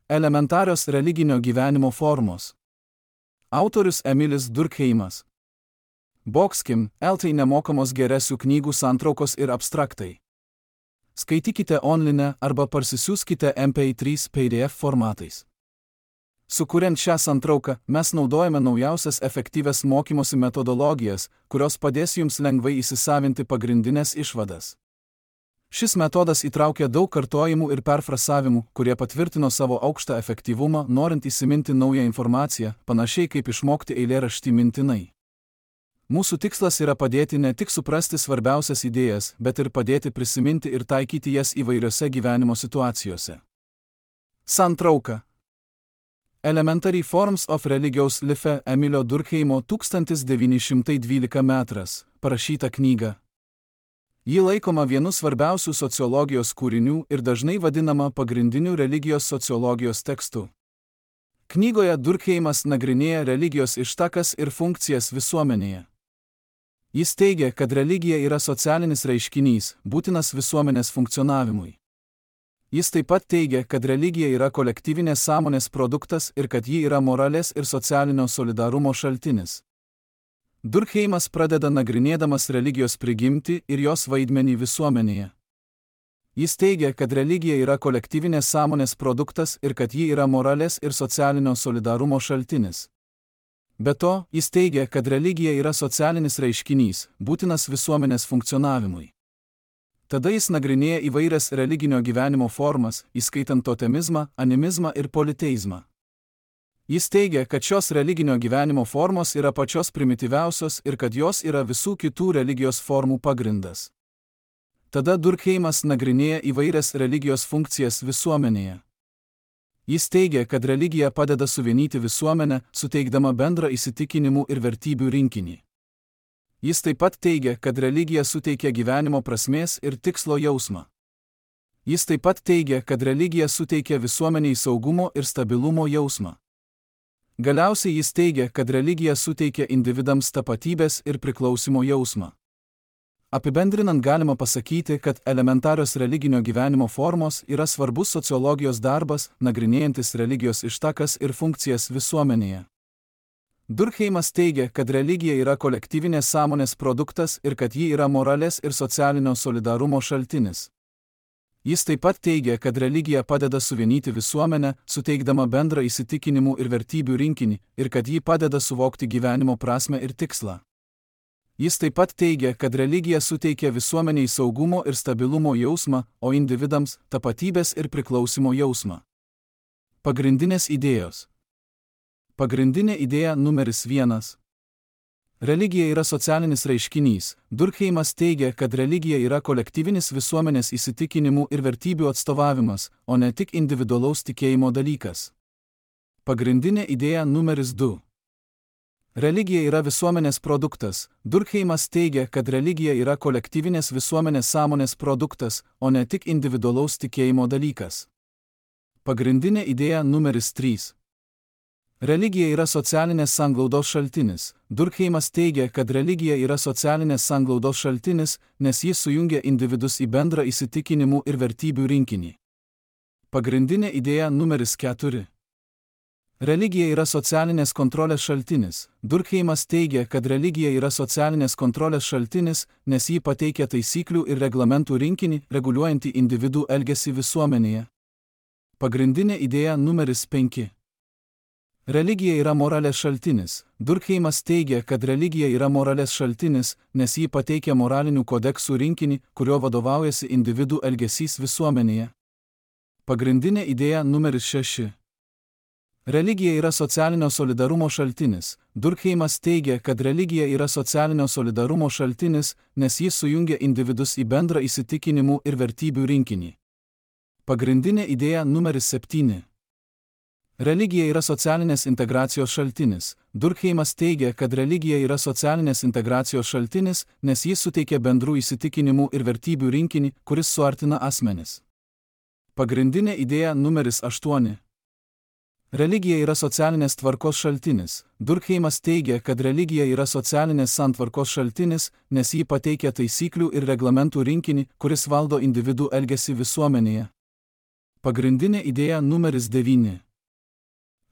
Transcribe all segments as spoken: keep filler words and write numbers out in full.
Elementarios religinio gyvenimo formos. Autorius Emilis Durkheimas. Bokskim, eltai nemokamos geresių knygų santraukos ir abstraktai. Skaitykite online arba parsisiųskite M P trys P D F formatais. Sukuriant šią santrauką, mes naudojame naujausias efektyvias mokymosi metodologijas, kurios padės jums lengvai įsisavinti pagrindinės išvadas. Šis metodas įtraukia daug kartojimų ir perfrasavimų, kurie patvirtino savo aukštą efektyvumą, norint įsiminti naują informaciją, panašiai kaip išmokti eilėraštį mintinai. Mūsų tikslas yra padėti ne tik suprasti svarbiausias idėjas, bet ir padėti prisiminti ir taikyti jas įvairiose gyvenimo situacijose. Santrauka. Elementary Forms of Religious Life Emilio Durkheimo tūkstantis devyni šimtai dvylika metras, parašyta knyga. Ji laikoma vienu svarbiausių sociologijos kūrinių ir dažnai vadinama pagrindiniu religijos sociologijos tekstu. Knygoje Durkheimas nagrinėja religijos ištakas ir funkcijas visuomenėje. Jis teigia, kad religija yra socialinis reiškinys, būtinas visuomenės funkcionavimui. Jis taip pat teigia, kad religija yra kolektyvinės sąmonės produktas ir kad ji yra moralės ir socialinio solidarumo šaltinis. Durkheimas pradeda nagrinėdamas religijos prigimtį ir jos vaidmenį visuomenėje. Jis teigia, kad religija yra kolektyvinės sąmonės produktas ir kad ji yra moralės ir socialinio solidarumo šaltinis. Be to, jis teigia, kad religija yra socialinis reiškinys, būtinas visuomenės funkcionavimui. Tada jis nagrinėja įvairias religinio gyvenimo formas, įskaitant totemizmą, animizmą ir politeizmą. Jis teigia, kad šios religinio gyvenimo formos yra pačios primityviausios ir kad jos yra visų kitų religijos formų pagrindas. Tada Durkheimas nagrinėja įvairias religijos funkcijas visuomenėje. Jis teigia, kad religija padeda suvienyti visuomenę, suteikdama bendrą įsitikinimų ir vertybių rinkinį. Jis taip pat teigia, kad religija suteikia gyvenimo prasmės ir tikslo jausmą. Jis taip pat teigia, kad religija suteikia visuomeniai saugumo ir stabilumo jausmą. Galiausiai jis teigia, kad religija suteikia individams tapatybės ir priklausimo jausmą. Apibendrinant galima pasakyti, kad elementarios religinio gyvenimo formos yra svarbus sociologijos darbas, nagrinėjantis religijos ištakas ir funkcijas visuomenėje. Durkheimas teigia, kad religija yra kolektyvinės sąmonės produktas ir kad ji yra moralės ir socialinio solidarumo šaltinis. Jis taip pat teigia, kad religija padeda suvienyti visuomenę, suteikdama bendrą įsitikinimų ir vertybių rinkinį, ir kad ji padeda suvokti gyvenimo prasmę ir tikslą. Jis taip pat teigia, kad religija suteikia visuomeniai saugumo ir stabilumo jausmą, o individams – tapatybės ir priklausimo jausmą. Pagrindinės idėjos. Pagrindinė idėja numeris vienas. Religija yra socialinis reiškinys. Durkheimas teigia, kad religija yra kolektyvinis visuomenės įsitikinimų ir vertybių atstovavimas, o ne tik individualaus tikėjimo dalykas. Pagrindinė idėja numeris du. Religija yra visuomenės produktas. Durkheimas teigia, kad religija yra kolektyvinės visuomenės sąmonės produktas, o ne tik individualaus tikėjimo dalykas. Pagrindinė idėja numeris trys. Religija yra socialinės sanglaudos šaltinis. Durkheimas teigia, kad religija yra socialinės sanglaudos šaltinis, nes jis sujungia individus į bendrą įsitikinimų ir vertybių rinkinį. Pagrindinė idėja numeris keturi. Religija yra socialinės kontrolės šaltinis. Durkheimas teigia, kad religija yra socialinės kontrolės šaltinis, nes ji pateikia taisyklių ir reglamentų rinkinį, reguliuojantį individų elgesį visuomenėje. Pagrindinė idėja numeris penki. Religija yra moralės šaltinis. Durkheimas teigia, kad religija yra moralės šaltinis, nes ji pateikia moralinių kodeksų rinkinį, kurio vadovaujasi individų elgesys visuomenėje. Pagrindinė idėja numeris šeši. Religija yra socialinio solidarumo šaltinis. Durkheimas teigia, kad religija yra socialinio solidarumo šaltinis, nes jis sujungia individus į bendrą įsitikinimų ir vertybių rinkinį. Pagrindinė idėja numeris septyni. Religija yra socialinės integracijos šaltinis. Durkheimas teigia, kad religija yra socialinės integracijos šaltinis, nes jis suteikia bendrų įsitikinimų ir vertybių rinkinį, kuris suartina asmenis. Pagrindinė idėja numeris aštuoni. Religija yra socialinės tvarkos šaltinis. Durkheimas teigia, kad religija yra socialinės santvarkos šaltinis, nes ji pateikia taisyklių ir reglamentų rinkinį, kuris valdo individų elgesį visuomenėje. Pagrindinė idėja numeris devyni.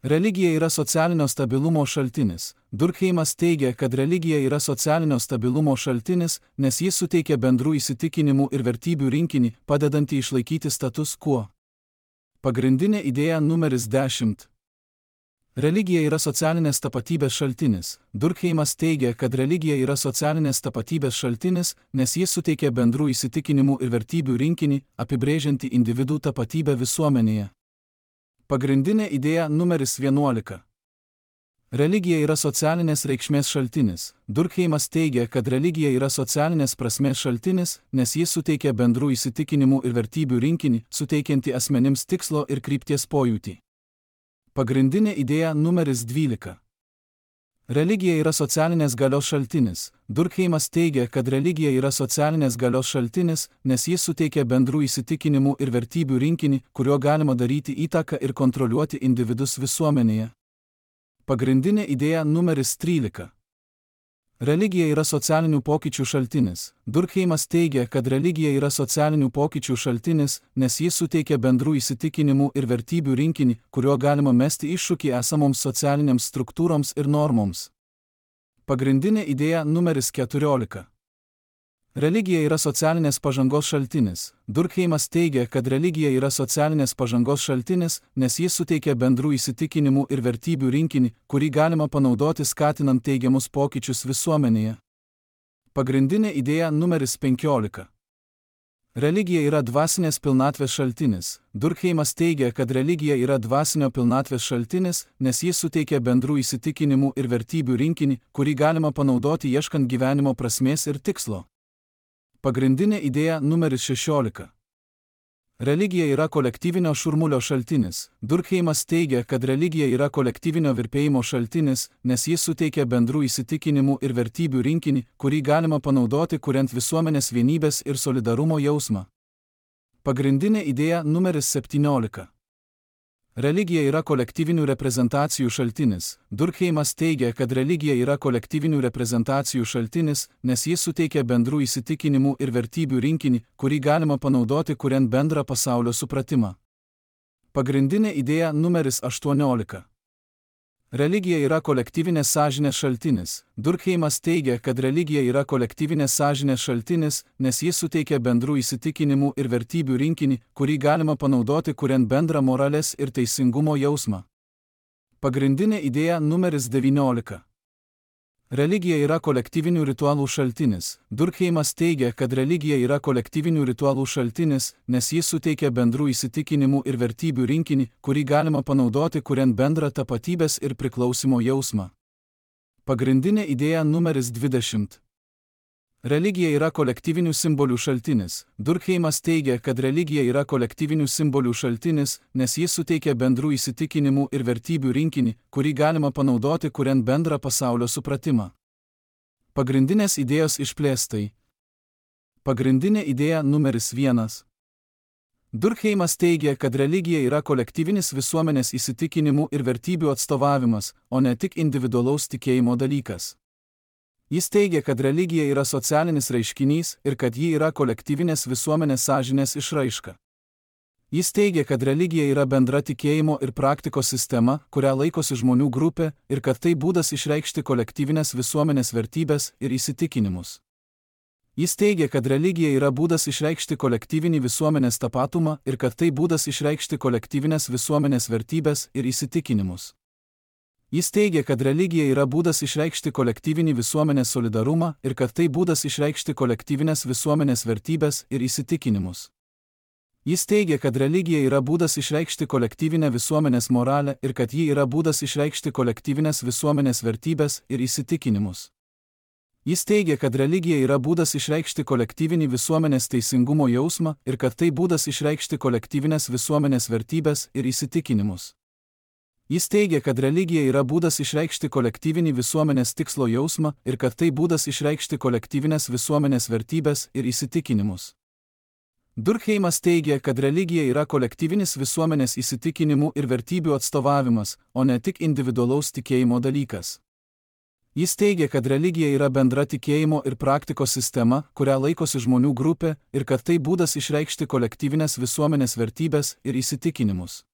Religija yra socialinio stabilumo šaltinis. Durkheimas teigia, kad religija yra socialinio stabilumo šaltinis, nes jis suteikia bendrų įsitikinimų ir vertybių rinkinį, padedantį išlaikyti status quo. Pagrindinė idėja numeris dešimt. Religija yra socialinės tapatybės šaltinis. Durkheimas teigia, kad religija yra socialinės tapatybės šaltinis, nes jis suteikia bendrų įsitikinimų ir vertybių rinkinį, apibrėžiantį individų tapatybę visuomenėje. Pagrindinė idėja numeris vienuolika. Religija yra socialinės reikšmės šaltinis. Durkheimas teigia, kad religija yra socialinės prasmės šaltinis, nes jis suteikia bendrų įsitikinimų ir vertybių rinkinį, suteikiantį asmenims tikslo ir krypties pojūtį. Pagrindinė idėja numeris dvylika. Religija yra socialinės galios šaltinis. Durkheimas teigia, kad religija yra socialinės galios šaltinis, nes jis suteikia bendrų įsitikinimų ir vertybių rinkinį, kuriuo galima daryti įtaką ir kontroliuoti individus visuomenėje. Pagrindinė idėja numeris trylika. Religija yra socialinių pokyčių šaltinis. Durkheimas teigia, kad religija yra socialinių pokyčių šaltinis, nes jis suteikia bendrų įsitikinimų ir vertybių rinkinį, kuriuo galima mesti iššūkį esamoms socialinėms struktūroms ir normoms. Pagrindinė idėja numeris keturiolika. Religija yra socialinės pažangos šaltinis. Durkheimas teigia, kad religija yra socialinės pažangos šaltinis, nes jis suteikia bendrų įsitikinimų ir vertybių rinkinį, kurį galima panaudoti skatinant teigiamus pokyčius visuomenėje. Pagrindinė idėja numeris penkiolika. Religija yra dvasinės pilnatvės šaltinis. Durkheimas teigia, kad religija yra dvasinio pilnatvės šaltinis, nes jis suteikia bendrų įsitikinimų ir vertybių rinkinį, kurį galima panaudoti ieškant gyvenimo prasmės ir tikslo. Pagrindinė idėja numeris šešiolika. Religija yra kolektyvinio šurmulio šaltinis. Durkheimas teigia, kad religija yra kolektyvinio virpėjimo šaltinis, nes jis suteikia bendrų įsitikinimų ir vertybių rinkinį, kurį galima panaudoti kuriant visuomenės vienybės ir solidarumo jausmą. Pagrindinė idėja numeris septyniolika. Religija yra kolektyvinių reprezentacijų šaltinis. Durkheimas teigia, kad religija yra kolektyvinių reprezentacijų šaltinis, nes jis suteikia bendrų įsitikinimų ir vertybių rinkinį, kurį galima panaudoti kuriant bendrą pasaulio supratimą. Pagrindinė idėja numeris aštuoniolika. Religija yra kolektyvinės sąžinės šaltinis. Durkheimas teigia, kad religija yra kolektyvinės sąžinės šaltinis, nes jis suteikia bendrų įsitikinimų ir vertybių rinkinį, kurį galima panaudoti kuriant bendrą moralės ir teisingumo jausmą. Pagrindinė idėja numeris devyniolika. Religija yra kolektyvinių ritualų šaltinis. Durkheimas teigia, kad religija yra kolektyvinių ritualų šaltinis, nes jis suteikia bendrų įsitikinimų ir vertybių rinkinį, kurį galima panaudoti kuriant bendrą tapatybės ir priklausimo jausmą. Pagrindinė idėja numeris dvidešimt. Religija yra kolektyvinių simbolių šaltinis. Durkheimas teigia, kad religija yra kolektyvinių simbolių šaltinis, nes jis suteikia bendrų įsitikinimų ir vertybių rinkinį, kurį galima panaudoti kuriant bendrą pasaulio supratimą. Pagrindinės idėjos išplėstai. Pagrindinė idėja numeris vienas. Durkheimas teigia, kad religija yra kolektyvinis visuomenės įsitikinimų ir vertybių atstovavimas, o ne tik individualaus tikėjimo dalykas. Jis teigia, kad religija yra socialinis reiškinys ir kad ji yra kolektyvinės visuomenės sąžinės išraiška. Jis teigia, kad religija yra bendra tikėjimo ir praktikos sistema, kurią laikosi žmonių grupė, ir kad tai būdas išreikšti kolektyvinės visuomenės vertybės ir įsitikinimus. Jis teigia, kad religija yra būdas išreikšti kolektyvinį visuomenės tapatumą ir kad tai būdas išreikšti kolektyvinės visuomenės vertybės ir įsitikinimus. Jis teigia, kad religija yra būdas išreikšti kolektyvinį visuomenės solidarumą ir kad tai būdas išreikšti kolektyvinės visuomenės vertybės ir įsitikinimus. Jis teigia, kad religija yra būdas išreikšti kolektyvinę visuomenės moralę ir kad ji yra būdas išreikšti kolektyvinės visuomenės vertybės ir įsitikinimus. Jis teigia, kad religija yra būdas išreikšti kolektyvinį visuomenės teisingumo jausmą ir kad tai būdas išreikšti kolektyvinės visuomenės vertybės ir įsitikinimus. Jis teigia, kad religija yra būdas išreikšti kolektyvinį visuomenės tikslo jausmą ir kad tai būdas išreikšti kolektyvinės visuomenės vertybės ir įsitikinimus. Durkheimas teigia, kad religija yra kolektyvinis visuomenės įsitikinimų ir vertybių atstovavimas, o ne tik individualaus tikėjimo dalykas. Jis teigia, kad religija yra bendra tikėjimo ir praktikos sistema, kurią laikosi žmonių grupė, ir kad tai būdas išreikšti kolektyvinės visuomenės vertybės ir įsitikinimus.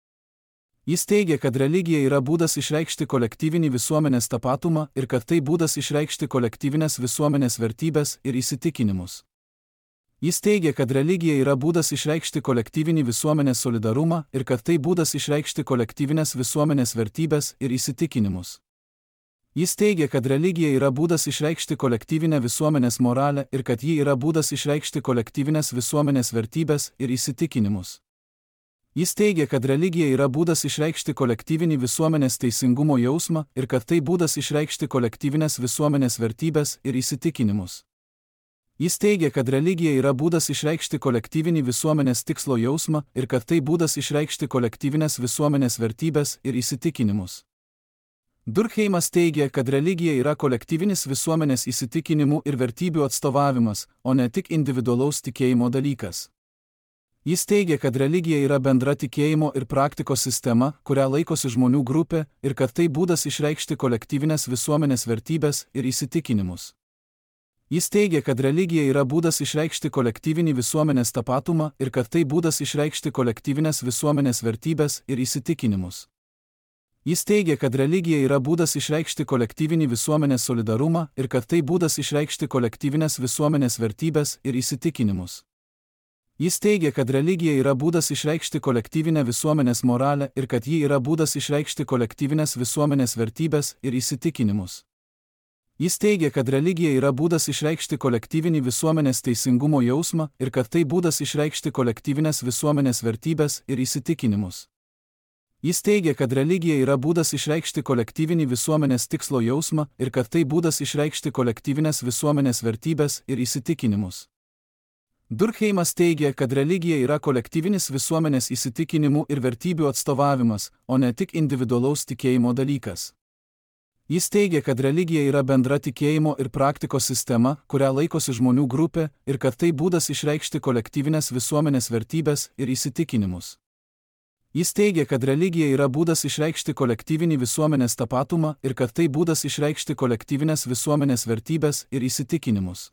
Jis teigia, kad religija yra būdas išreikšti kolektyvinį visuomenės tapatumą ir kad tai būdas išreikšti kolektyvinės visuomenės vertybės ir įsitikinimus. Jis teigia, kad religija yra būdas išreikšti kolektyvinį visuomenės solidarumą ir kad tai būdas išreikšti kolektyvinės visuomenės vertybės ir įsitikinimus. Jis teigia, kad religija yra būdas išreikšti kolektyvinę visuomenės moralę ir kad ji yra būdas išreikšti kolektyvinės visuomenės vertybės ir įsitikinimus. Jis teigia, kad religija yra būdas išreikšti kolektyvinį visuomenės teisingumo jausmą ir kad tai būdas išreikšti kolektyvinės visuomenės vertybės ir įsitikinimus. Jis teigia, kad religija yra būdas išreikšti kolektyvinį visuomenės tikslo jausmą ir kad tai būdas išreikšti kolektyvinės visuomenės vertybės ir įsitikinimus. Durkheimas teigia, kad religija yra kolektyvinis visuomenės įsitikinimų ir vertybių atstovavimas, o ne tik individualaus tikėjimo dalykas. Jis teigia, kad religija yra bendra tikėjimo ir praktikos sistema, kurią laikosi žmonių grupė, ir kad tai būdas išreikšti kolektyvinės visuomenės vertybės ir įsitikinimus. Jis teigia, kad religija yra būdas išreikšti kolektyvinį visuomenės tapatumą ir kad tai būdas išreikšti kolektyvinės visuomenės vertybės ir įsitikinimus. Jis teigia, kad religija yra būdas išreikšti kolektyvinį visuomenės solidarumą ir kad tai būdas išreikšti kolektyvinės visuomenės vertybės ir įsitikinimus. Jis teigia, kad religija yra būdas išreikšti kolektyvinę visuomenės moralę ir kad ji yra būdas išreikšti kolektyvinės visuomenės vertybės ir įsitikinimus. Jis teigia, kad religija yra būdas išreikšti kolektyvinį visuomenės teisingumo jausmą ir kad tai būdas išreikšti kolektyvinės visuomenės vertybės ir įsitikinimus. Jis teigia, kad religija yra būdas išreikšti kolektyvinį visuomenės tikslo jausmą ir kad tai būdas išreikšti kolektyvinės visuomenės vertybės ir įsitikinimus. Durkheimas teigia, kad religija yra kolektyvinis visuomenės įsitikinimų ir vertybių atstovavimas, o ne tik individualaus tikėjimo dalykas. Jis teigia, kad religija yra bendra tikėjimo ir praktikos sistema, kurią laikosi žmonių grupė, ir kad tai būdas išreikšti kolektyvinės visuomenės vertybės ir įsitikinimus. Jis teigia, kad religija yra būdas išreikšti kolektyvinį visuomenės tapatumą ir kad tai būdas išreikšti kolektyvinės visuomenės vertybės ir įsitikinimus.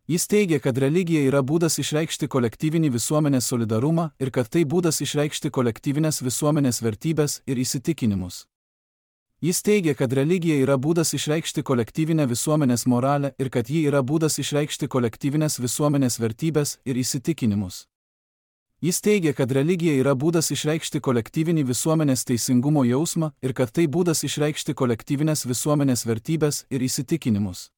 Jis teigia, kad religija yra būdas išreikšti kolektyvinį visuomenės solidarumą ir kad tai būdas išreikšti kolektyvinės visuomenės vertybės ir įsitikinimus. Jis teigia, kad religija yra būdas išreikšti kolektyvinę visuomenės moralę ir kad ji yra būdas išreikšti kolektyvinės visuomenės vertybės ir įsitikinimus. Jis teigia, kad religija yra būdas išreikšti kolektyvinį visuomenės teisingumo jausmą ir kad tai būdas išreikšti kolektyvinės visuomenės vertybės ir įsitikinimus.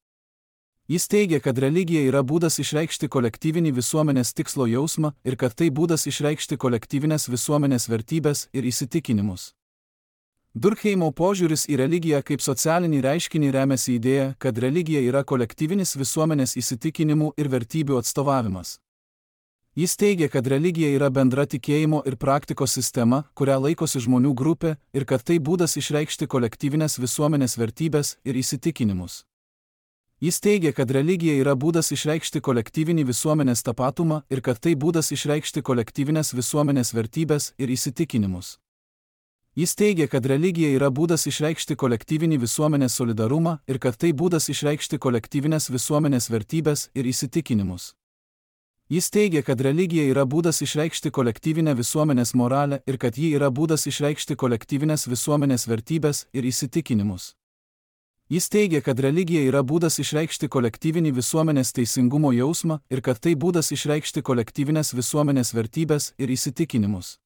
Jis teigia, kad religija yra būdas išreikšti kolektyvinį visuomenės tikslo jausmą ir kad tai būdas išreikšti kolektyvinės visuomenės vertybės ir įsitikinimus. Durkheimo požiūris į religiją kaip socialinį reiškinį remiasi idėja, kad religija yra kolektyvinis visuomenės įsitikinimų ir vertybių atstovavimas. Jis teigia, kad religija yra bendra tikėjimo ir praktikos sistema, kurią laikosi žmonių grupė, ir kad tai būdas išreikšti kolektyvinės visuomenės vertybės ir įsitikinimus. Jis teigia, kad religija yra būdas išreikšti kolektyvinį visuomenės tapatumą ir kad tai būdas išreikšti kolektyvinės visuomenės vertybės ir įsitikinimus. Jis teigia, kad religija yra būdas išreikšti kolektyvinį visuomenės solidarumą ir kad tai būdas išreikšti kolektyvinės visuomenės vertybės ir įsitikinimus. Jis teigia, kad religija yra būdas išreikšti kolektyvinę visuomenės moralę ir kad ji yra būdas išreikšti kolektyvinės visuomenės vertybės ir įsitikinimus. Jis teigia, kad religija yra būdas išreikšti kolektyvinį visuomenės teisingumo jausmą ir kad tai būdas išreikšti kolektyvinės visuomenės vertybės ir įsitikinimus.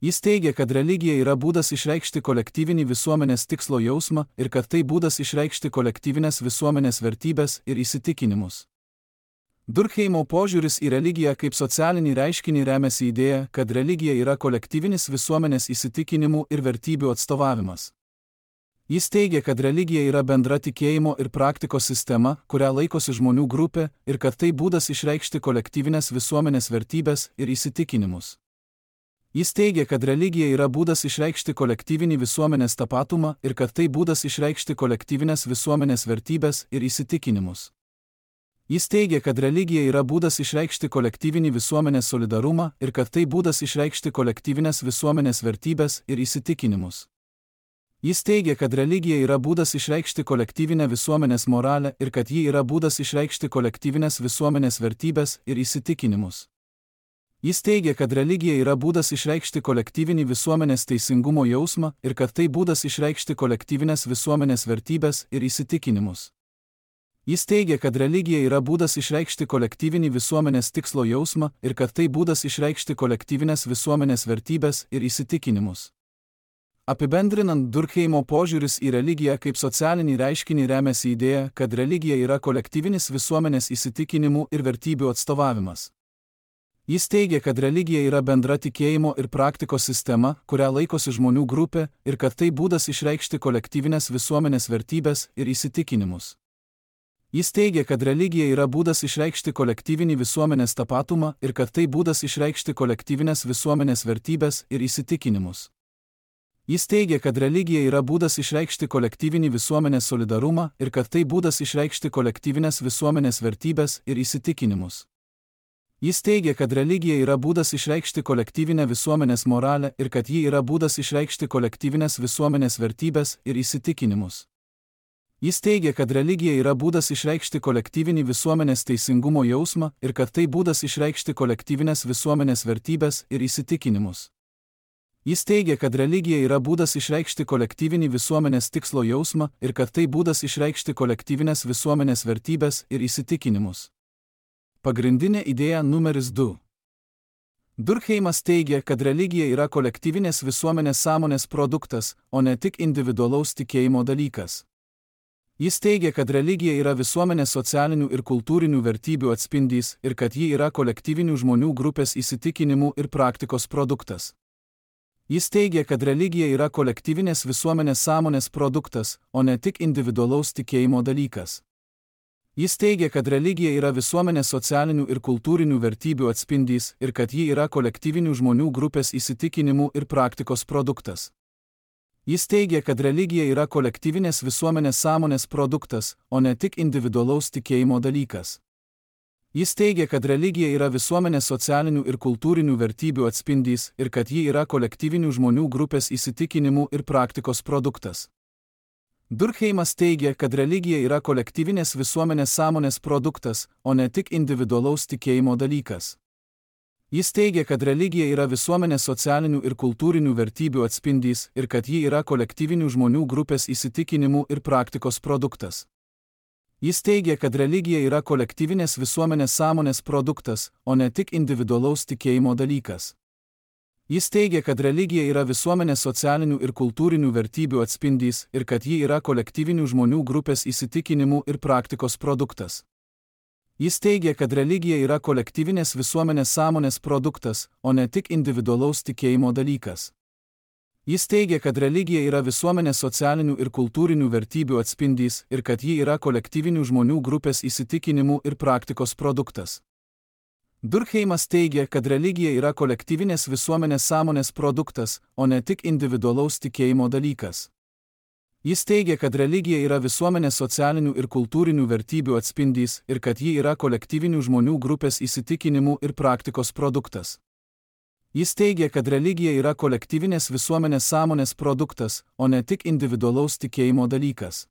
Jis teigia, kad religija yra būdas išreikšti kolektyvinį visuomenės tikslo jausmą ir kad tai būdas išreikšti kolektyvinės visuomenės vertybės ir įsitikinimus. Durkheimo požiūris į religiją kaip socialinį reiškinį remiasi idėja, kad religija yra kolektyvinis visuomenės įsitikinimų ir vertybių atstovavimas. Jis teigia, kad religija yra bendra tikėjimo ir praktikos sistema, kurią laikosi žmonių grupė, ir kad tai būdas išreikšti kolektyvinės visuomenės vertybės ir įsitikinimus. Jis teigia, kad religija yra būdas išreikšti kolektyvinį visuomenės tapatumą ir kad tai būdas išreikšti kolektyvinės visuomenės vertybės ir įsitikinimus. Jis teigia, kad religija yra būdas išreikšti kolektyvinį visuomenės solidarumą ir kad tai būdas išreikšti kolektyvinės visuomenės vertybės ir įsitikinimus. Jis teigia, kad religija yra būdas išreikšti kolektyvinę visuomenės moralę ir kad ji yra būdas išreikšti kolektyvinės visuomenės vertybės ir įsitikinimus. Jis teigia, kad religija yra būdas išreikšti kolektyvinį visuomenės teisingumo jausmą ir kad tai būdas išreikšti kolektyvinės visuomenės vertybės ir įsitikinimus. Jis teigia, kad religija yra būdas išreikšti kolektyvinį visuomenės tikslo jausmą ir kad tai būdas išreikšti kolektyvinės visuomenės vertybės ir įsitikinimus. Apibendrinant, Durkheimo požiūris į religiją kaip socialinį reiškinį remiasi idėja, kad religija yra kolektyvinis visuomenės įsitikinimų ir vertybių atstovavimas. Jis teigia, kad religija yra bendra tikėjimo ir praktikos sistema, kurią laikosi žmonių grupė, ir kad tai būdas išreikšti kolektyvinės visuomenės vertybės ir įsitikinimus. Jis teigia, kad religija yra būdas išreikšti kolektyvinį visuomenės tapatumą ir kad tai būdas išreikšti kolektyvinės visuomenės vertybės ir įsitikinimus. Jis teigia, kad religija yra būdas išreikšti kolektyvinį visuomenės solidarumą ir kad tai būdas išreikšti kolektyvinės visuomenės vertybės ir įsitikinimus. Jis teigia, kad religija yra būdas išreikšti kolektyvinę visuomenės moralę ir kad ji yra būdas išreikšti kolektyvinės visuomenės vertybės ir įsitikinimus. Jis teigia, kad religija yra būdas išreikšti kolektyvinį visuomenės teisingumo jausmą ir kad tai būdas išreikšti kolektyvinės visuomenės vertybės ir įsitikinimus. Jis teigia, kad religija yra būdas išreikšti kolektyvinį visuomenės tikslo jausmą ir kad tai būdas išreikšti kolektyvinės visuomenės vertybės ir įsitikinimus. Pagrindinė idėja numeris du. Durkheimas teigia, kad religija yra kolektyvinės visuomenės sąmonės produktas, o ne tik individualaus tikėjimo dalykas. Jis teigia, kad religija yra visuomenės socialinių ir kultūrinių vertybių atspindys ir kad ji yra kolektyvinių žmonių grupės įsitikinimų ir praktikos produktas. Jis teigia, kad religija yra kolektyvinės visuomenės sąmonės produktas, o ne tik individualaus tikėjimo dalykas. Jis teigia, kad religija yra visuomenės socialinių ir kultūrinių vertybių atspindys ir kad ji yra kolektyvinių žmonių grupės įsitikinimų ir praktikos produktas. Jis teigia, kad religija yra kolektyvinės visuomenės sąmonės produktas, o ne tik individualaus tikėjimo dalykas. Jis teigia, kad religija yra visuomenės socialinių ir kultūrinių vertybių atspindys ir kad ji yra kolektyvinių žmonių grupės įsitikinimų ir praktikos produktas. Durkheimas teigia, kad religija yra kolektyvinės visuomenės sąmonės produktas, o ne tik individualaus tikėjimo dalykas. Jis teigia, kad religija yra visuomenės socialinių ir kultūrinių vertybių atspindys ir kad ji yra kolektyvinių žmonių grupės įsitikinimų ir praktikos produktas. Jis teigia, kad religija yra kolektyvinės visuomenės sąmonės produktas, o ne tik individualaus tikėjimo dalykas. Jis teigia, kad religija yra visuomenės socialinių ir kultūrinių vertybių atspindys ir kad ji yra kolektyvinių žmonių grupės įsitikinimų ir praktikos produktas. Jis teigia, kad religija yra kolektyvinės visuomenės sąmonės produktas, o ne tik individualaus tikėjimo dalykas. Jis teigia, kad religija yra visuomenės socialinių ir kultūrinių vertybių atspindys ir kad ji yra kolektyvinių žmonių grupės įsitikinimų ir praktikos produktas. Durkheimas teigia, kad religija yra kolektyvinės visuomenės sąmonės produktas, o ne tik individualaus tikėjimo dalykas. Jis teigia, kad religija yra visuomenės socialinių ir kultūrinių vertybių atspindys ir kad ji yra kolektyvinių žmonių grupės įsitikinimų ir praktikos produktas. Jis teigia, kad religija yra kolektyvinės visuomenės sąmonės produktas, o ne tik individualaus tikėjimo dalykas.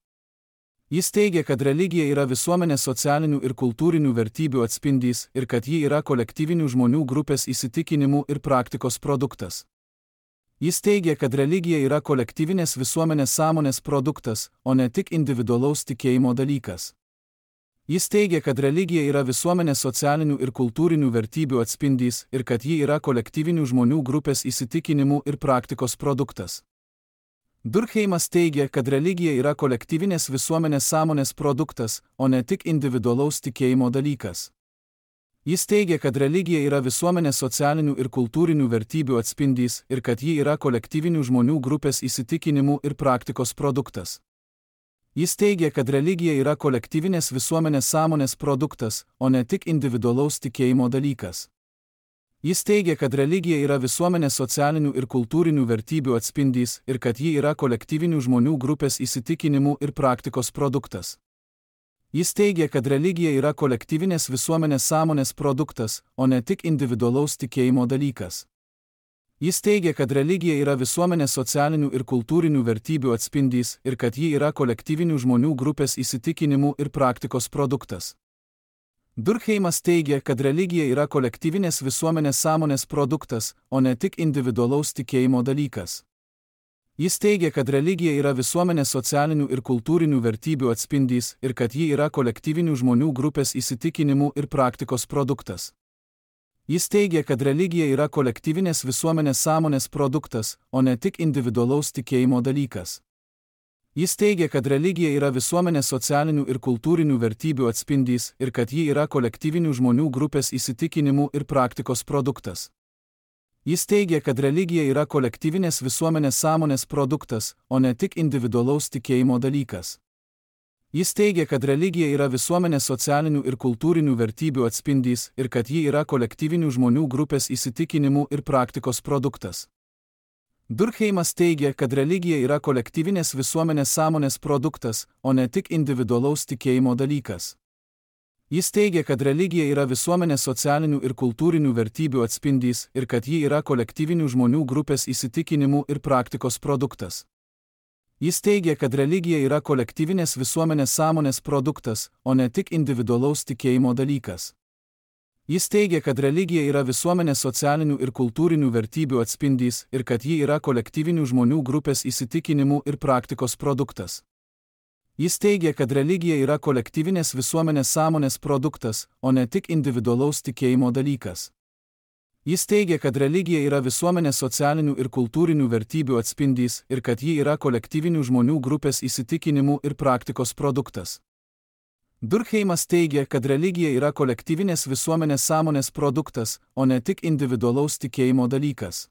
Jis teigia, kad religija yra visuomenės socialinių ir kultūrinių vertybių atspindys ir kad ji yra kolektyvinių žmonių grupės įsitikinimų ir praktikos produktas. Jis teigia, kad religija yra kolektyvinės visuomenės sąmonės produktas, o ne tik individualaus tikėjimo dalykas. Jis teigia, kad religija yra visuomenės socialinių ir kultūrinių vertybių atspindys ir kad ji yra kolektyvinių žmonių grupės įsitikinimų ir praktikos produktas. Durkheimas teigia, kad religija yra kolektyvinės visuomenės sąmonės produktas, o ne tik individualaus tikėjimo dalykas. Jis teigia, kad religija yra visuomenės socialinių ir kultūrinių vertybių atspindys ir kad ji yra kolektyvinių žmonių grupės įsitikinimų ir praktikos produktas. Jis teigia, kad religija yra kolektyvinės visuomenės sąmonės produktas, o ne tik individualaus tikėjimo dalykas. Jis teigia, kad religija yra visuomenės socialinių ir kultūrinių vertybių atspindys ir kad ji yra kolektyvinių žmonių grupės įsitikinimų ir praktikos produktas. Jis teigia, kad religija yra kolektyvinės visuomenės sąmonės produktas, o ne tik individualaus tikėjimo dalykas. Jis teigia, kad religija yra visuomenės socialinių ir kultūrinių vertybių atspindys ir kad ji yra kolektyvinių žmonių grupės įsitikinimų ir praktikos produktas. Durkheimas teigia, kad religija yra kolektyvinės visuomenės sąmonės produktas, o ne tik individualaus tikėjimo dalykas. Jis teigia, kad religija yra visuomenės socialinių ir kultūrinių vertybių atspindys ir kad ji yra kolektyvinių žmonių grupės įsitikinimų ir praktikos produktas. Jis teigia, kad religija yra kolektyvinės visuomenės sąmonės produktas, o ne tik individualaus tikėjimo dalykas. Jis teigia, kad religija yra visuomenės socialinių ir kultūrinių vertybių atspindys ir kad ji yra kolektyvinių žmonių grupės įsitikinimų ir praktikos produktas. Jis teigia, kad religija yra kolektyvinės visuomenės sąmonės produktas, o ne tik individualaus tikėjimo dalykas. Jis teigia, kad religija yra visuomenės socialinių ir kultūrinių vertybių atspindys ir kad ji yra kolektyvinių žmonių grupės įsitikinimų ir praktikos produktas. Durkheimas teigia, kad religija yra kolektyvinės visuomenės sąmonės produktas, o ne tik individualaus tikėjimo dalykas. Jis teigia, kad religija yra visuomenės socialinių ir kultūrinių vertybių atspindys ir kad ji yra kolektyvinių žmonių grupės įsitikinimų ir praktikos produktas. Jis teigia, kad religija yra kolektyvinės visuomenės sąmonės produktas, o ne tik individualaus tikėjimo dalykas. Jis teigia, kad religija yra visuomenės socialinių ir kultūrinių vertybių atspindys ir kad ji yra kolektyvinių žmonių grupės įsitikinimų ir praktikos produktas. Jis teigia, kad religija yra kolektyvinės visuomenės sąmonės produktas, o ne tik individualaus tikėjimo dalykas. Jis teigia, kad religija yra visuomenės socialinių ir kultūrinių vertybių atspindys ir kad ji yra kolektyvinių žmonių grupės įsitikinimų ir praktikos produktas. Durkheimas teigia, kad religija yra kolektyvinės visuomenės sąmonės produktas, o ne tik individualaus tikėjimo dalykas.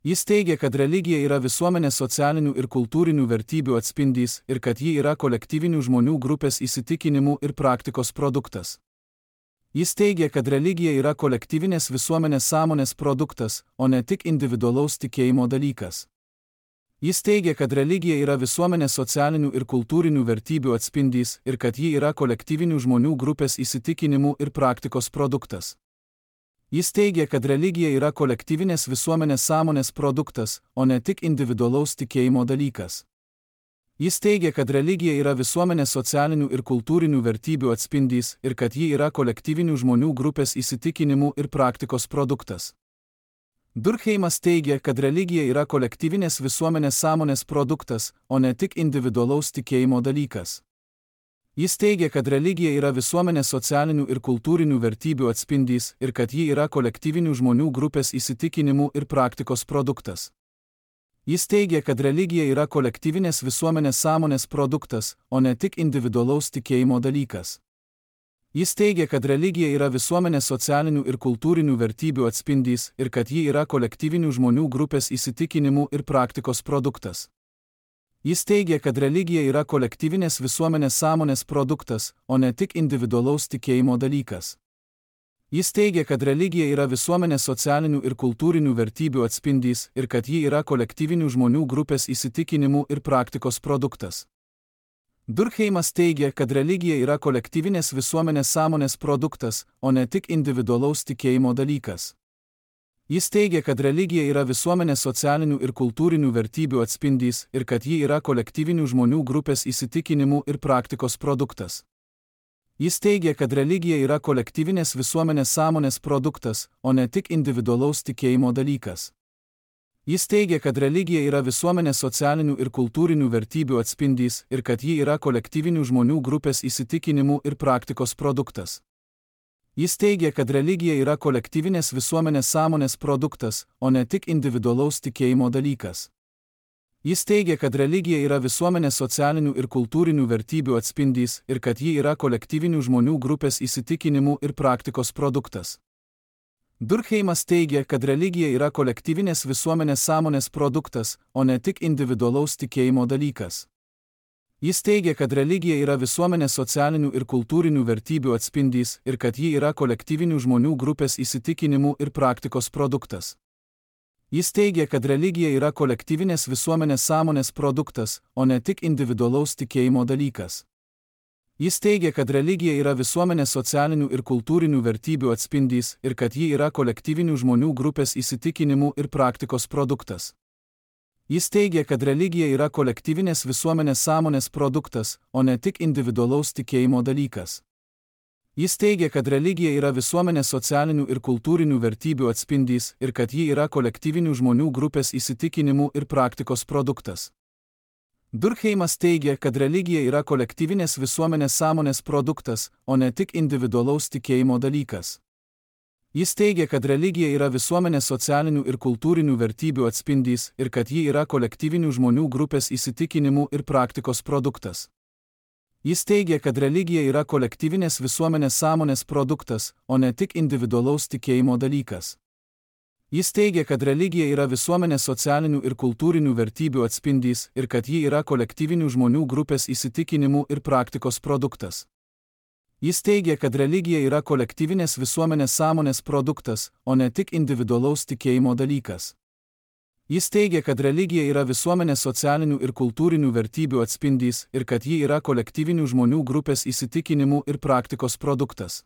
Jis teigia, kad religija yra visuomenės socialinių ir kultūrinių vertybių atspindys ir kad ji yra kolektyvinių žmonių grupės įsitikinimų ir praktikos produktas. Jis teigia, kad religija yra kolektyvinės visuomenės sąmonės produktas, o ne tik individualaus tikėjimo dalykas. Jis teigia, kad religija yra visuomenės socialinių ir kultūrinių vertybių atspindys ir kad ji yra kolektyvinių žmonių grupės įsitikinimų ir praktikos produktas. Jis teigia, kad religija yra kolektyvinės visuomenės sąmonės produktas, o ne tik individualaus tikėjimo dalykas. Jis teigia, kad religija yra visuomenės socialinių ir kultūrinių vertybių atspindys ir kad ji yra kolektyvinių žmonių grupės įsitikinimų ir praktikos produktas. Durkheimas teigia, kad religija yra kolektyvinės visuomenės sąmonės produktas, o ne tik individualaus tikėjimo dalykas. Jis teigia, kad religija yra visuomenės socialinių ir kultūrinių vertybių atspindys ir kad ji yra kolektyvinių žmonių grupės įsitikinimų ir praktikos produktas. Jis teigia, kad religija yra kolektyvinės visuomenės sąmonės produktas, o ne tik individualaus tikėjimo dalykas. Jis teigia, kad religija yra visuomenės socialinių ir kultūrinių vertybių atspindys ir kad ji yra kolektyvinių žmonių grupės įsitikinimų ir praktikos produktas. Jis teigia, kad religija yra kolektyvinės visuomenės sąmonės produktas, o ne tik individualaus tikėjimo dalykas. Jis teigia, kad religija yra visuomenės socialinių ir kultūrinių vertybių atspindys ir kad ji yra kolektyvinių žmonių grupės įsitikinimų ir praktikos produktas. Durkheimas teigia, kad religija yra kolektyvinės visuomenės sąmonės produktas, o ne tik individualaus tikėjimo dalykas. Jis teigia, kad religija yra visuomenės socialinių ir kultūrinių vertybių atspindys ir kad ji yra kolektyvinių žmonių grupės įsitikinimų ir praktikos produktas. Jis teigia, kad religija yra kolektyvinės visuomenės sąmonės produktas, o ne tik individualaus tikėjimo dalykas. Jis teigia, kad religija yra visuomenės socialinių ir kultūrinių vertybių atspindys ir kad ji yra kolektyvinių žmonių grupės įsitikinimų ir praktikos produktas. Jis teigia, kad religija yra kolektyvinės visuomenės sąmonės produktas, o ne tik individualaus tikėjimo dalykas. Jis teigia, kad religija yra visuomenės socialinių ir kultūrinių vertybių atspindys ir kad ji yra kolektyvinių žmonių grupės įsitikinimų ir praktikos produktas. Durkheimas teigia, kad religija yra kolektyvinės visuomenės sąmonės produktas, o ne tik individualaus tikėjimo dalykas. Jis teigia, kad religija yra visuomenės socialinių ir kultūrinių vertybių atspindys ir kad ji yra kolektyvinių žmonių grupės įsitikinimų ir praktikos produktas. Jis teigia, kad religija yra kolektyvinės visuomenės sąmonės produktas, o ne tik individualaus tikėjimo dalykas. Jis teigia, kad religija yra visuomenės socialinių ir kultūrinių vertybių atspindys ir kad ji yra kolektyvinių žmonių grupės įsitikinimų ir praktikos produktas. Jis teigia, kad religija yra kolektyvinės visuomenės sąmonės produktas, o ne tik individualaus tikėjimo dalykas. Jis teigia, kad religija yra visuomenės socialinių ir kultūrinių vertybių atspindys ir kad ji yra kolektyvinių žmonių grupės įsitikinimų ir praktikos produktas. Durkheimas teigia, kad religija yra kolektyvinės visuomenės sąmonės produktas, o ne tik individualaus tikėjimo dalykas. Jis teigia, kad religija yra visuomenės socialinių ir kultūrinių vertybių atspindys ir kad ji yra kolektyvinių žmonių grupės įsitikinimų ir praktikos produktas. Jis teigia, kad religija yra kolektyvinės visuomenės sąmonės produktas, o ne tik individualaus tikėjimo dalykas. Jis teigia, kad religija yra visuomenės socialinių ir kultūrinių vertybių atspindys ir kad ji yra kolektyvinių žmonių grupės įsitikinimų ir praktikos produktas. Jis teigia, kad religija yra kolektyvinės visuomenės sąmonės produktas, o ne tik individualaus tikėjimo dalykas. Jis teigia, kad religija yra visuomenės socialinių ir kultūrinių vertybių atspindys ir kad ji yra kolektyvinių žmonių grupės įsitikinimų ir praktikos produktas.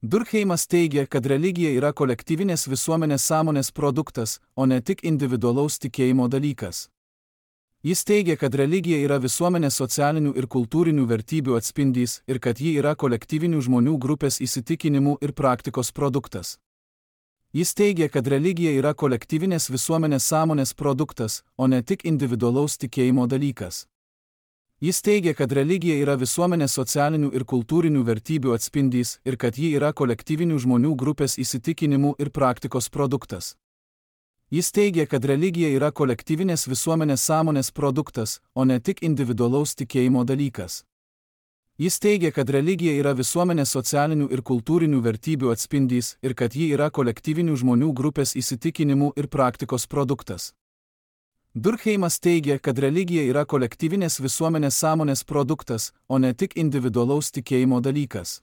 Durkheimas teigia, kad religija yra kolektyvinės visuomenės sąmonės produktas, o ne tik individualaus tikėjimo dalykas. Jis teigia, kad religija yra visuomenės socialinių ir kultūrinių vertybių atspindys ir kad ji yra kolektyvinių žmonių grupės įsitikinimų ir praktikos produktas. Jis teigia, kad religija yra kolektyvinės visuomenės sąmonės produktas, o ne tik individualaus tikėjimo dalykas. Jis teigia, kad religija yra visuomenės socialinių ir kultūrinių vertybių atspindys ir kad ji yra kolektyvinių žmonių grupės įsitikinimų ir praktikos produktas. Jis teigia, kad religija yra kolektyvinės visuomenės sąmonės produktas, o ne tik individualaus tikėjimo dalykas. Jis teigia, kad religija yra visuomenės socialinių ir kultūrinių vertybių atspindys ir kad ji yra kolektyvinių žmonių grupės įsitikinimų ir praktikos produktas. Durkheimas teigia, kad religija yra kolektyvinės visuomenės sąmonės produktas, o ne tik individualaus tikėjimo dalykas.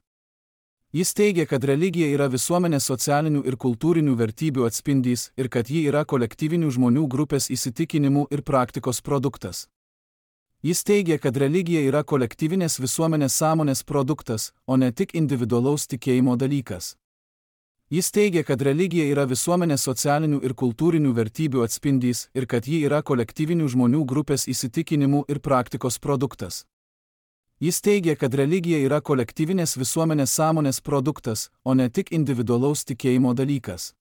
Jis teigia, kad religija yra visuomenės socialinių ir kultūrinių vertybių atspindys ir kad ji yra kolektyvinių žmonių grupės įsitikinimų ir praktikos produktas. Jis teigia, kad religija yra kolektyvinės visuomenės sąmonės produktas, o ne tik individualaus tikėjimo dalykas. Jis teigia, kad religija yra visuomenės socialinių ir kultūrinių vertybių atspindys ir kad ji yra kolektyvinių žmonių grupės įsitikinimų ir praktikos produktas. Jis teigia, kad religija yra kolektyvinės visuomenės sąmonės produktas, o ne tik individualaus tikėjimo dalykas.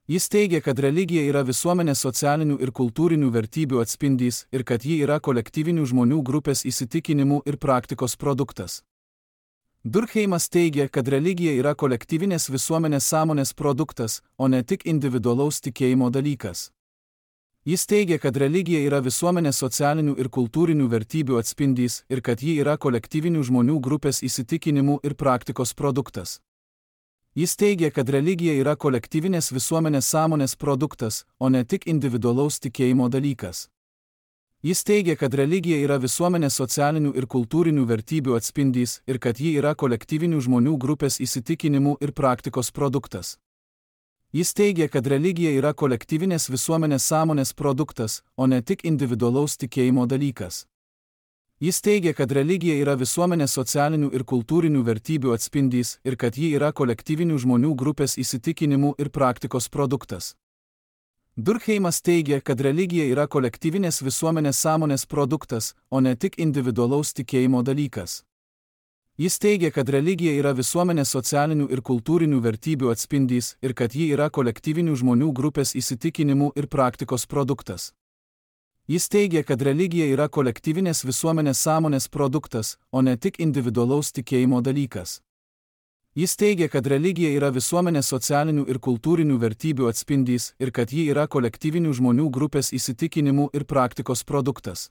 Jis teigia, kad religija yra visuomenės socialinių ir kultūrinių vertybių atspindys ir kad ji yra kolektyvinių žmonių grupės įsitikinimų ir praktikos produktas. Durkheimas teigia, kad religija yra kolektyvinės visuomenės sąmonės produktas, o ne tik individualaus tikėjimo dalykas. Jis teigia, kad religija yra visuomenės socialinių ir kultūrinių vertybių atspindys ir kad ji yra kolektyvinių žmonių grupės įsitikinimų ir praktikos produktas. Jis teigia, kad religija yra kolektyvinės visuomenės sąmonės produktas, o ne tik individualaus tikėjimo dalykas. Jis teigia, kad religija yra visuomenės socialinių ir kultūrinių vertybių atspindys ir kad ji yra kolektyvinių žmonių grupės įsitikinimų ir praktikos produktas. Jis teigia, kad religija yra kolektyvinės visuomenės sąmonės produktas, o ne tik individualaus tikėjimo dalykas. Jis teigia, kad religija yra visuomenės socialinių ir kultūrinių vertybių atspindys ir kad ji yra kolektyvinių žmonių grupės įsitikinimų ir praktikos produktas. Durkheimas teigia, kad religija yra kolektyvinės visuomenės sąmonės produktas, o ne tik individualaus tikėjimo dalykas. Jis teigia, kad religija yra visuomenės socialinių ir kultūrinių vertybių atspindys ir kad ji yra kolektyvinių žmonių grupės įsitikinimų ir praktikos produktas. Jis teigia, kad religija yra kolektyvinės visuomenės sąmonės produktas, o ne tik individualaus tikėjimo dalykas. Jis teigia, kad religija yra visuomenės socialinių ir kultūrinių vertybių atspindys ir kad ji yra kolektyvinių žmonių grupės įsitikinimų ir praktikos produktas.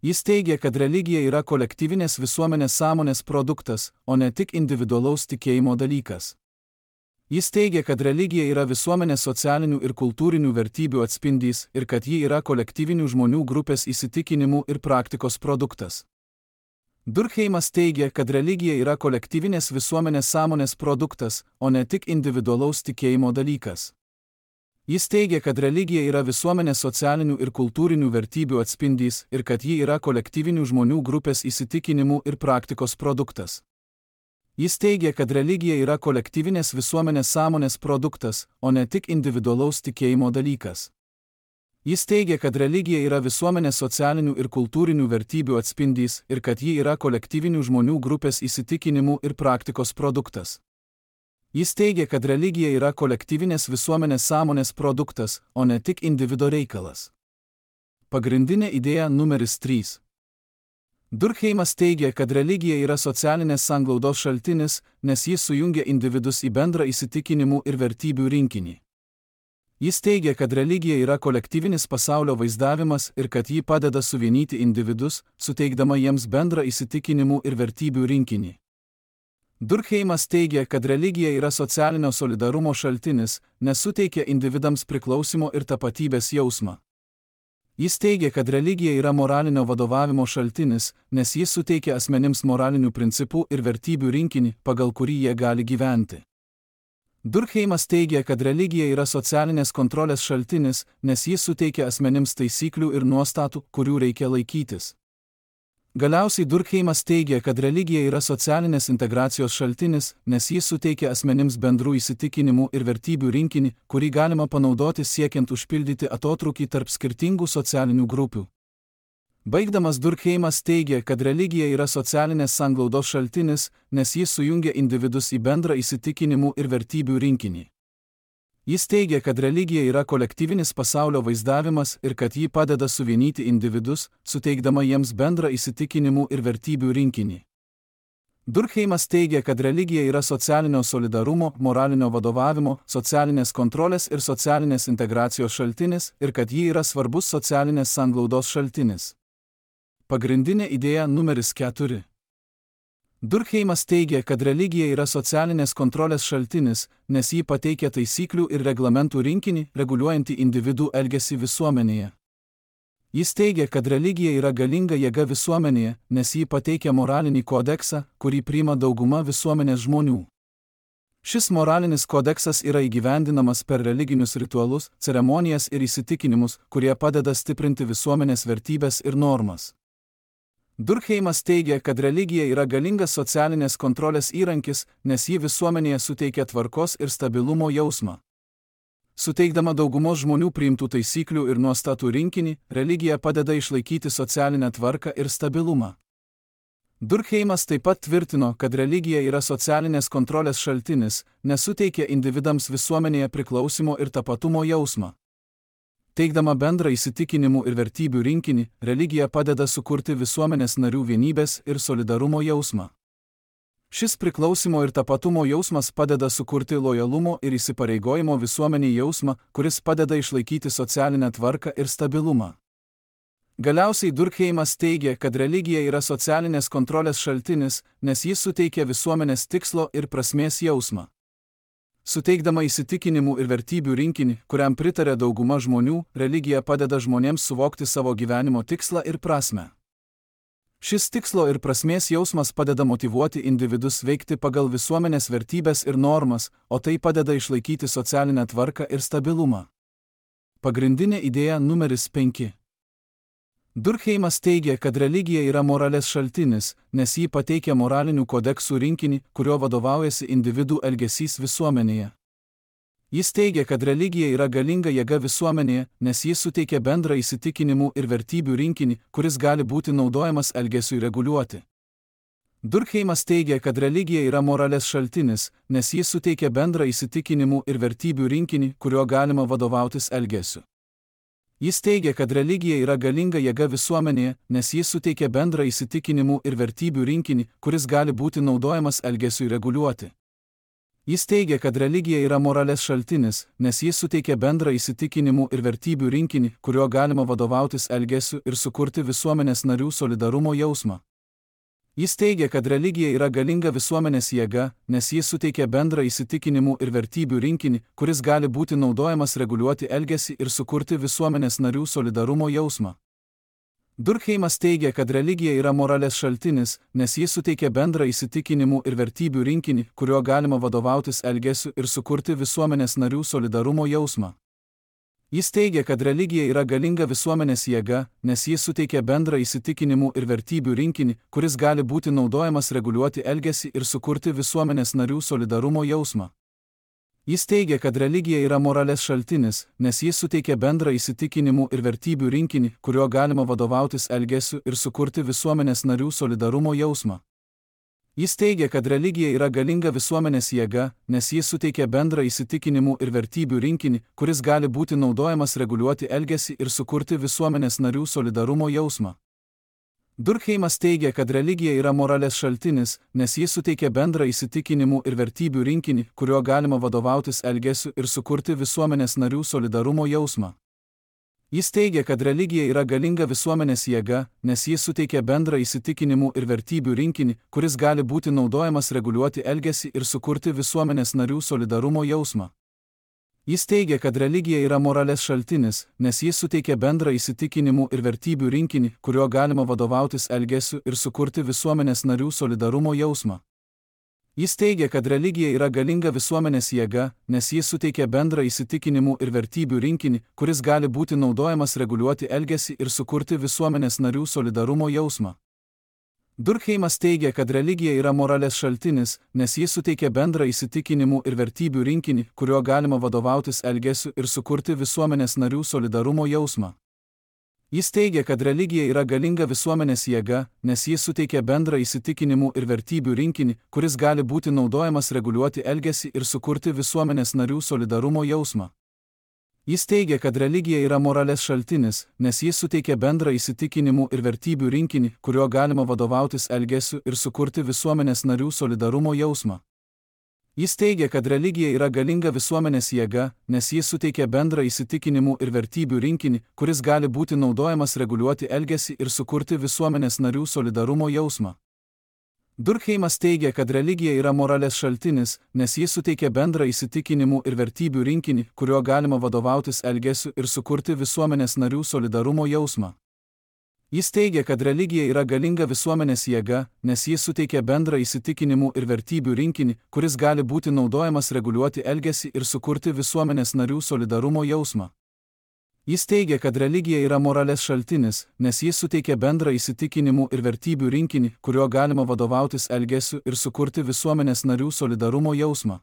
Jis teigia, kad religija yra kolektyvinės visuomenės sąmonės produktas, o ne tik individualaus tikėjimo dalykas. Jis teigia, kad religija yra visuomenės socialinių ir kultūrinių vertybių atspindys ir kad ji yra kolektyvinių žmonių grupės įsitikinimų ir praktikos produktas. Durkheimas teigia, kad religija yra kolektyvinės visuomenės sąmonės produktas, o ne tik individualaus tikėjimo dalykas. Jis teigia, kad religija yra visuomenės socialinių ir kultūrinių vertybių atspindys ir kad ji yra kolektyvinių žmonių grupės įsitikinimų ir praktikos produktas. Jis teigia, kad religija yra kolektyvinės visuomenės sąmonės produktas, o ne tik individualaus tikėjimo dalykas. Jis teigia, kad religija yra visuomenės socialinių ir kultūrinių vertybių atspindys ir kad ji yra kolektyvinių žmonių grupės įsitikinimų ir praktikos produktas. Jis teigia, kad religija yra kolektyvinės visuomenės sąmonės produktas, o ne tik individo reikalas. Pagrindinė idėja numeris trys. Durkheimas teigia, kad religija yra socialinės sanglaudos šaltinis, nes jis sujungia individus į bendrą įsitikinimų ir vertybių rinkinį. Jis teigia, kad religija yra kolektyvinis pasaulio vaizdavimas ir kad ji padeda suvienyti individus, suteikdama jiems bendrą įsitikinimų ir vertybių rinkinį. Durkheimas teigia, kad religija yra socialinio solidarumo šaltinis, nes suteikia individams priklausimo ir tapatybės jausmą. Jis teigia, kad religija yra moralinio vadovavimo šaltinis, nes jis suteikia asmenims moralinių principų ir vertybių rinkinį, pagal kurį jie gali gyventi. Durkheimas teigia, kad religija yra socialinės kontrolės šaltinis, nes jis suteikia asmenims taisyklių ir nuostatų, kurių reikia laikytis. Galiausiai Durkheimas teigia, kad religija yra socialinės integracijos šaltinis, nes jis suteikia asmenims bendrų įsitikinimų ir vertybių rinkinį, kurį galima panaudoti siekiant užpildyti atotrūkį tarp skirtingų socialinių grupių. Baigdamas Durkheimas teigia, kad religija yra socialinės sanglaudos šaltinis, nes jis sujungia individus į bendrą įsitikinimų ir vertybių rinkinį. Jis teigia, kad religija yra kolektyvinis pasaulio vaizdavimas ir kad ji padeda suvienyti individus, suteikdama jiems bendrą įsitikinimų ir vertybių rinkinį. Durkheimas teigia, kad religija yra socialinio solidarumo, moralinio vadovavimo, socialinės kontrolės ir socialinės integracijos šaltinis ir kad ji yra svarbus socialinės sanglaudos šaltinis. Pagrindinė idėja numeris keturi. Durkheimas teigia, kad religija yra socialinės kontrolės šaltinis, nes ji pateikia taisyklių ir reglamentų rinkinį, reguliuojantį individų elgesį visuomenėje. Jis teigia, kad religija yra galinga jėga visuomenėje, nes ji pateikia moralinį kodeksą, kurį priima dauguma visuomenės žmonių. Šis moralinis kodeksas yra įgyvendinamas per religinius ritualus, ceremonijas ir įsitikinimus, kurie padeda stiprinti visuomenės vertybės ir normas. Durkheimas teigia, kad religija yra galingas socialinės kontrolės įrankis, nes ji visuomenėje suteikia tvarkos ir stabilumo jausmą. Suteikdama daugumos žmonių priimtų taisyklių ir nuostatų rinkinį, religija padeda išlaikyti socialinę tvarką ir stabilumą. Durkheimas taip pat tvirtino, kad religija yra socialinės kontrolės šaltinis, nes suteikia individams visuomenėje priklausimo ir tapatumo jausmą. Teikdama bendrą įsitikinimų ir vertybių rinkinį, religija padeda sukurti visuomenės narių vienybės ir solidarumo jausmą. Šis priklausimo ir tapatumo jausmas padeda sukurti lojalumo ir įsipareigojimo visuomeniai jausmą, kuris padeda išlaikyti socialinę tvarką ir stabilumą. Galiausiai Durkheimas teigia, kad religija yra socialinės kontrolės šaltinis, nes jis suteikia visuomenės tikslo ir prasmės jausmą. Suteikdama įsitikinimų ir vertybių rinkinį, kuriam pritarė dauguma žmonių, religija padeda žmonėms suvokti savo gyvenimo tikslą ir prasmę. Šis tikslo ir prasmės jausmas padeda motyvuoti individus veikti pagal visuomenės vertybės ir normas, o tai padeda išlaikyti socialinę tvarką ir stabilumą. Pagrindinė idėja numeris penki. Durkheimas teigia, kad religija yra moralės šaltinis, nes ji pateikia moralinių kodeksų rinkinį, kurio vadovaujasi individų elgesys visuomenėje. Jis teigia, kad religija yra galinga jėga visuomenėje, nes jis suteikia bendrą įsitikinimų ir vertybių rinkinį, kuris gali būti naudojamas elgesiui reguliuoti. Durkheimas teigia, kad religija yra moralės šaltinis, nes jis suteikia bendrą įsitikinimų ir vertybių rinkinį, kuriuo galima vadovautis elgesiu. Jis teigia, kad religija yra galinga jėga visuomenėje, nes jis suteikia bendrą įsitikinimų ir vertybių rinkinį, kuris gali būti naudojamas elgesiui reguliuoti. Jis teigia, kad religija yra moralės šaltinis, nes jis suteikia bendrą įsitikinimų ir vertybių rinkinį, kuriuo galima vadovautis elgesiu ir sukurti visuomenės narių solidarumo jausmą. Jis teigia, kad religija yra galinga visuomenės jėga, nes jis suteikia bendrą įsitikinimų ir vertybių rinkinį, kuris gali būti naudojamas reguliuoti elgesį ir sukurti visuomenės narių solidarumo jausmą. Durkheimas teigia, kad religija yra moralės šaltinis, nes jis suteikia bendrą įsitikinimų ir vertybių rinkinį, kuriuo galima vadovautis elgesiu ir sukurti visuomenės narių solidarumo jausmą. Jis teigia, kad religija yra galinga visuomenės jėga, nes ji suteikia bendrą įsitikinimų ir vertybių rinkinį, kuris gali būti naudojamas reguliuoti elgesį ir sukurti visuomenės narių solidarumo jausmą. Jis teigia, kad religija yra moralės šaltinis, nes jis suteikia bendrą įsitikinimų ir vertybių rinkinį, kuriuo galima vadovautis elgesiu ir sukurti visuomenės narių solidarumo jausmą. Jis teigia, kad religija yra galinga visuomenės jėga, nes jis suteikia bendrą įsitikinimų ir vertybių rinkinį, kuris gali būti naudojamas reguliuoti elgesį ir sukurti visuomenės narių solidarumo jausmą. Durkheimas teigia, kad religija yra moralės šaltinis, nes jis suteikia bendrą įsitikinimų ir vertybių rinkinį, kuriuo galima vadovautis elgesiu ir sukurti visuomenės narių solidarumo jausmą. Jis teigia, kad religija yra galinga visuomenės jėga, nes jis suteikia bendrą įsitikinimų ir vertybių rinkinį, kuris gali būti naudojamas reguliuoti elgesį ir sukurti visuomenės narių solidarumo jausmą. Jis teigia, kad religija yra moralės šaltinis, nes jis suteikia bendrą įsitikinimų ir vertybių rinkinį, kuriuo galima vadovautis elgesiu ir sukurti visuomenės narių solidarumo jausmą. Jis teigia, kad religija yra galinga visuomenės jėga, nes jis suteikia bendrą įsitikinimų ir vertybių rinkinį, kuris gali būti naudojamas reguliuoti elgesį ir sukurti visuomenės narių solidarumo jausmą. Durkheimas teigia, kad religija yra moralės šaltinis, nes jis suteikia bendrą įsitikinimų ir vertybių rinkinį, kuriuo galima vadovautis elgesiu ir sukurti visuomenės narių solidarumo jausmą. Jis teigia, kad religija yra galinga visuomenės jėga, nes jis suteikia bendrą įsitikinimų ir vertybių rinkinį, kuris gali būti naudojamas reguliuoti elgesį ir sukurti visuomenės narių solidarumo jausmą. Jis teigia, kad religija yra moralės šaltinis, nes jis suteikia bendrą įsitikinimų ir vertybių rinkinį, kuriuo galima vadovautis elgesiu ir sukurti visuomenės narių solidarumo jausmą. Jis teigia, kad religija yra galinga visuomenės jėga, nes jis suteikia bendrą įsitikinimų ir vertybių rinkinį, kuris gali būti naudojamas reguliuoti elgesį ir sukurti visuomenės narių solidarumo jausmą. Durkheimas teigia, kad religija yra moralės šaltinis, nes jis suteikia bendrą įsitikinimų ir vertybių rinkinį, kuriuo galima vadovautis elgesiu ir sukurti visuomenės narių solidarumo jausmą. Jis teigia, kad religija yra galinga visuomenės jėga, nes jis suteikia bendrą įsitikinimų ir vertybių rinkinį, kuris gali būti naudojamas reguliuoti elgesį ir sukurti visuomenės narių solidarumo jausmą. Jis teigia, kad religija yra moralės šaltinis, nes jis suteikia bendrą įsitikinimų ir vertybių rinkinį, kuriuo galima vadovautis elgesiu ir sukurti visuomenės narių solidarumo jausmą.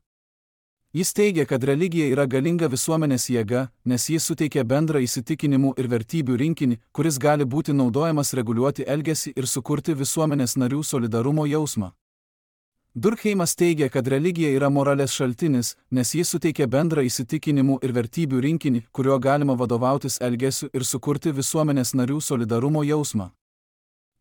Jis teigia, kad religija yra galinga visuomenės jėga, nes jis suteikia bendrą įsitikinimų ir vertybių rinkinį, kuris gali būti naudojamas reguliuoti elgesį ir sukurti visuomenės narių solidarumo jausmą. Durkheimas teigia, kad religija yra moralės šaltinis, nes jis suteikia bendrą įsitikinimų ir vertybių rinkinį, kuriuo galima vadovautis elgesiu ir sukurti visuomenės narių solidarumo jausmą.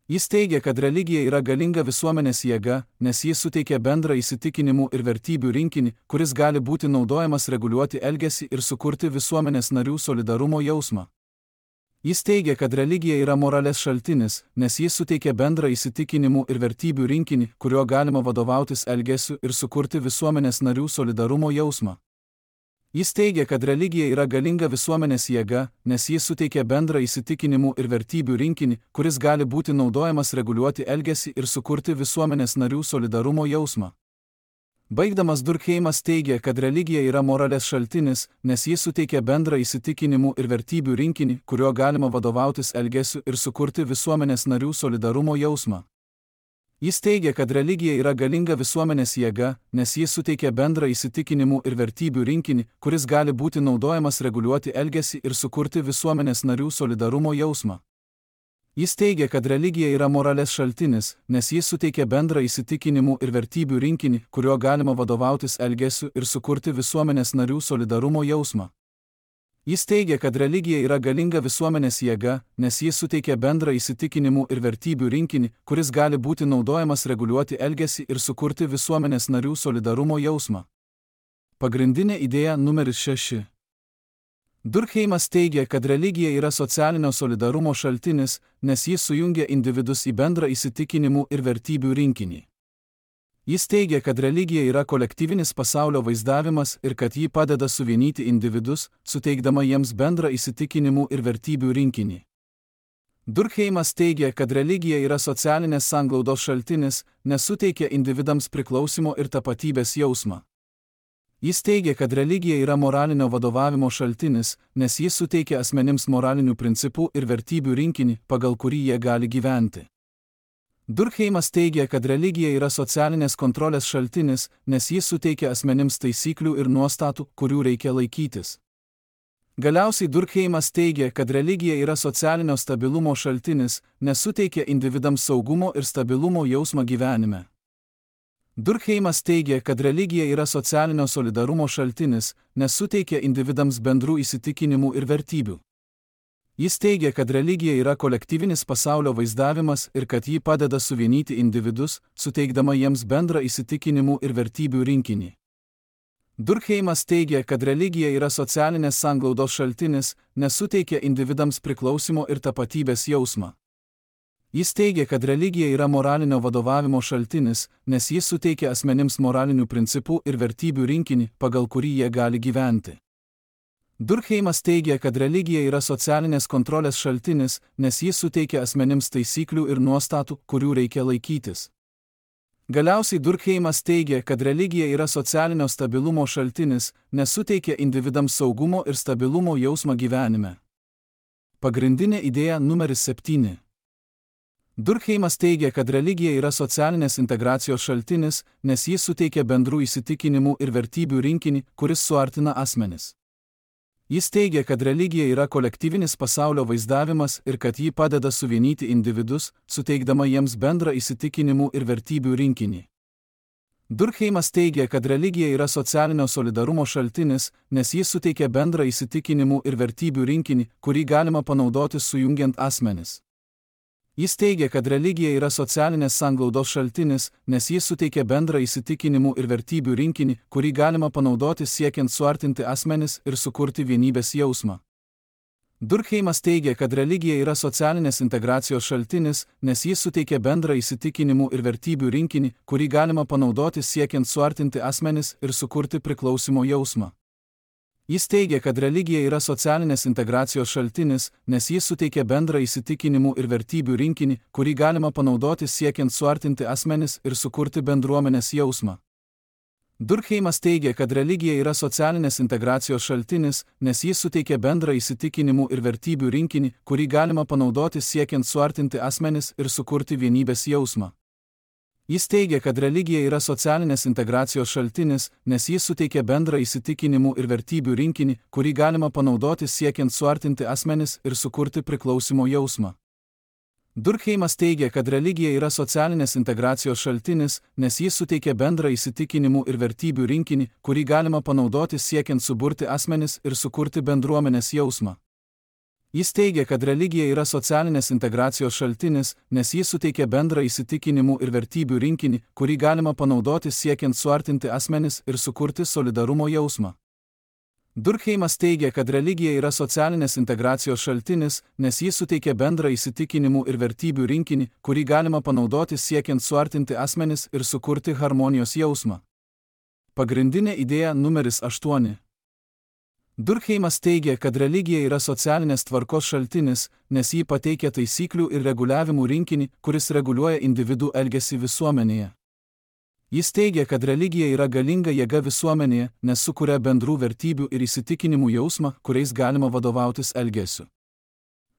Jis teigia, kad religija yra galinga visuomenės jėga, nes jis suteikia bendrą įsitikinimų ir vertybių rinkinį, kuris gali būti naudojamas reguliuoti elgesį ir sukurti visuomenės narių solidarumo jausmą. Jis teigia, kad religija yra moralės šaltinis, nes jis suteikia bendrą įsitikinimų ir vertybių rinkinį, kuriuo galima vadovautis elgesiu ir sukurti visuomenės narių solidarumo jausmą. Jis teigia, kad religija yra galinga visuomenės jėga, nes jis suteikia bendrą įsitikinimų ir vertybių rinkinį, kuris gali būti naudojamas reguliuoti elgesį ir sukurti visuomenės narių solidarumo jausmą. Baigdamas Durkheimas teigia, kad religija yra moralės šaltinis, nes jis suteikia bendrą įsitikinimų ir vertybių rinkinį, kuriuo galima vadovautis elgesiu ir sukurti visuomenės narių solidarumo jausmą. Jis teigia, kad religija yra galinga visuomenės jėga, nes jis suteikia bendrą įsitikinimų ir vertybių rinkinį, kuris gali būti naudojamas reguliuoti elgesį ir sukurti visuomenės narių solidarumo jausmą. Jis teigia, kad religija yra moralės šaltinis, nes jis suteikia bendrą įsitikinimų ir vertybių rinkinį, kuriuo galima vadovautis elgesiu ir sukurti visuomenės narių solidarumo jausmą. Jis teigia, kad religija yra galinga visuomenės jėga, nes jis suteikia bendrą įsitikinimų ir vertybių rinkinį, kuris gali būti naudojamas reguliuoti elgesį ir sukurti visuomenės narių solidarumo jausmą. Pagrindinė idėja numeris šeši. Durkheimas teigia, kad religija yra socialinio solidarumo šaltinis, nes jis sujungia individus į bendrą įsitikinimų ir vertybių rinkinį. Jis teigia, kad religija yra kolektyvinis pasaulio vaizdavimas ir kad ji padeda suvienyti individus, suteikdama jiems bendrą įsitikinimų ir vertybių rinkinį. Durkheimas teigia, kad religija yra socialinės sanglaudos šaltinis, nes suteikia individams priklausimo ir tapatybės jausmą. Jis teigia, kad religija yra moralinio vadovavimo šaltinis, nes jis suteikia asmenims moralinių principų ir vertybių rinkinį, pagal kurį jie gali gyventi. Durkheimas teigia, kad religija yra socialinės kontrolės šaltinis, nes jis suteikia asmenims taisyklių ir nuostatų, kurių reikia laikytis. Galiausiai Durkheimas teigia, kad religija yra socialinio stabilumo šaltinis, nes suteikia individams saugumo ir stabilumo jausmą gyvenime. Durkheimas teigia, kad religija yra socialinio solidarumo šaltinis, nes suteikia individams bendrų įsitikinimų ir vertybių. Jis teigia, kad religija yra kolektyvinis pasaulio vaizdavimas ir kad ji padeda suvienyti individus, suteikdama jiems bendrą įsitikinimų ir vertybių rinkinį. Durkheimas teigia, kad religija yra socialinės sanglaudos šaltinis, nes suteikia individams priklausimo ir tapatybės jausmą. Jis teigia, kad religija yra moralinio vadovavimo šaltinis, nes jis suteikia asmenims moralinių principų ir vertybių rinkinį, pagal kurį jie gali gyventi. Durkheimas teigia, kad religija yra socialinės kontrolės šaltinis, nes jis suteikia asmenims taisyklių ir nuostatų, kurių reikia laikytis. Galiausiai Durkheimas teigia, kad religija yra socialinio stabilumo šaltinis, nes suteikia individams saugumo ir stabilumo jausmą gyvenime. Pagrindinė idėja numeris septyni. Durkheimas teigia, kad religija yra socialinės integracijos šaltinis, nes jis suteikia bendrų įsitikinimų ir vertybių rinkinį, kuris suartina asmenis. Jis teigia, kad religija yra kolektyvinis pasaulio vaizdavimas ir kad ji padeda suvienyti individus, suteikdama jiems bendrą įsitikinimų ir vertybių rinkinį. Durkheimas teigia, kad religija yra socialinio solidarumo šaltinis, nes jis suteikia bendrą įsitikinimų ir vertybių rinkinį, kurį galima panaudoti sujungiant asmenis. Jis teigia, kad religija yra socialinės sanglaudos šaltinis, nes jis suteikia bendrą įsitikinimų ir vertybių rinkinį, kurį galima panaudoti siekiant suartinti asmenis ir sukurti vienybės jausmą. Durkheimas teigia, kad religija yra socialinės integracijos šaltinis, nes jis suteikia bendrą įsitikinimų ir vertybių rinkinį, kurį galima panaudoti siekiant suartinti asmenis ir sukurti priklausimo jausmą. Jis teigia, kad religija yra socialinės integracijos šaltinis, nes jis suteikia bendrą įsitikinimų ir vertybių rinkinį, kurį galima panaudoti siekiant suartinti asmenis ir sukurti bendruomenės jausmą. Durkheimas teigia, kad religija yra socialinės integracijos šaltinis, nes jis suteikia bendrą įsitikinimų ir vertybių rinkinį, kurį galima panaudoti siekiant suartinti asmenis ir sukurti vienybės jausmą. Jis teigia, kad religija yra socialinės integracijos šaltinis, nes jis suteikia bendrą įsitikinimų ir vertybių rinkinį, kurį galima panaudoti siekiant suartinti asmenis ir sukurti priklausimo jausmą. Durkheimas teigia, kad religija yra socialinės integracijos šaltinis, nes jis suteikia bendrą įsitikinimų ir vertybių rinkinį, kurį galima panaudoti siekiant suburti asmenis ir sukurti bendruomenės jausmą. Jis teigia, kad religija yra socialinės integracijos šaltinis, nes jis suteikia bendrą įsitikinimų ir vertybių rinkinį, kurį galima panaudoti siekiant suartinti asmenis ir sukurti solidarumo jausmą. Durkheimas teigia, kad religija yra socialinės integracijos šaltinis, nes jis suteikia bendrą įsitikinimų ir vertybių rinkinį, kurį galima panaudoti siekiant suartinti asmenis ir sukurti harmonijos jausmą. Pagrindinė idėja numeris aštuoni. Durkheimas teigia, kad religija yra socialinės tvarkos šaltinis, nes ji pateikia taisyklių ir reguliavimų rinkinį, kuris reguliuoja individų elgesį visuomenėje. Jis teigia, kad religija yra galinga jėga visuomenėje, nes sukuria bendrų vertybių ir įsitikinimų jausmą, kuriais galima vadovautis elgesiu.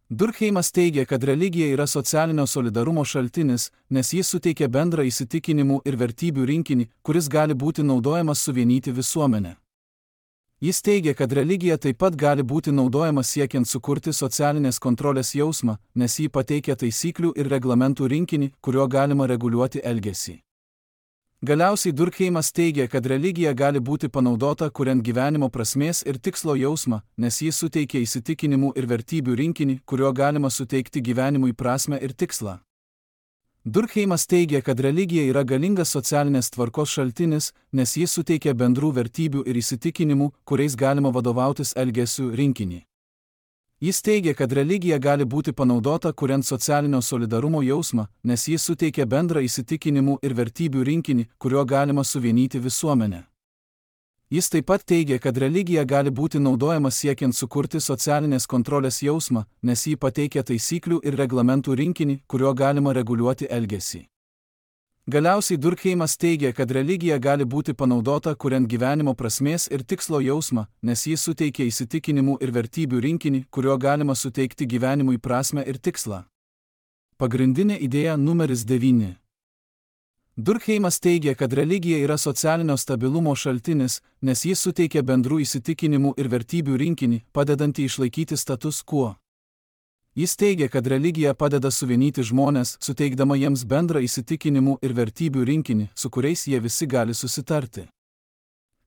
Durkheimas teigia, kad religija yra socialinio solidarumo šaltinis, nes jis suteikia bendrą įsitikinimų ir vertybių rinkinį, kuris gali būti naudojamas suvienyti visuomenę. Jis teigia, kad religija taip pat gali būti naudojama siekiant sukurti socialinės kontrolės jausmą, nes ji pateikia taisyklių ir reglamentų rinkinį, kuriuo galima reguliuoti elgesį. Galiausiai Durkheimas teigia, kad religija gali būti panaudota kuriant gyvenimo prasmės ir tikslo jausmą, nes ji suteikia įsitikinimų ir vertybių rinkinį, kuriuo galima suteikti gyvenimui prasmę ir tikslą. Durkheimas teigia, kad religija yra galingas socialinės tvarkos šaltinis, nes jis suteikia bendrų vertybių ir įsitikinimų, kuriais galima vadovautis elgesiu rinkinį. Jis teigia, kad religija gali būti panaudota kuriant socialinio solidarumo jausmą, nes jis suteikia bendrą įsitikinimų ir vertybių rinkinį, kuriuo galima suvienyti visuomenę. Jis taip pat teigia, kad religija gali būti naudojama siekiant sukurti socialinės kontrolės jausmą, nes ji pateikia taisyklių ir reglamentų rinkinį, kuriuo galima reguliuoti elgesį. Galiausiai Durkheimas teigia, kad religija gali būti panaudota kuriant gyvenimo prasmės ir tikslo jausmą, nes jis suteikia įsitikinimų ir vertybių rinkinį, kurio galima suteikti gyvenimui prasmę ir tikslą. Pagrindinė idėja numeris devyni. Durkheimas teigia, kad religija yra socialinio stabilumo šaltinis, nes jis suteikia bendrų įsitikinimų ir vertybių rinkinį, padedantį išlaikyti status quo. Jis teigia, kad religija padeda suvienyti žmonės, suteikdama jiems bendrą įsitikinimų ir vertybių rinkinį, su kuriais jie visi gali susitarti.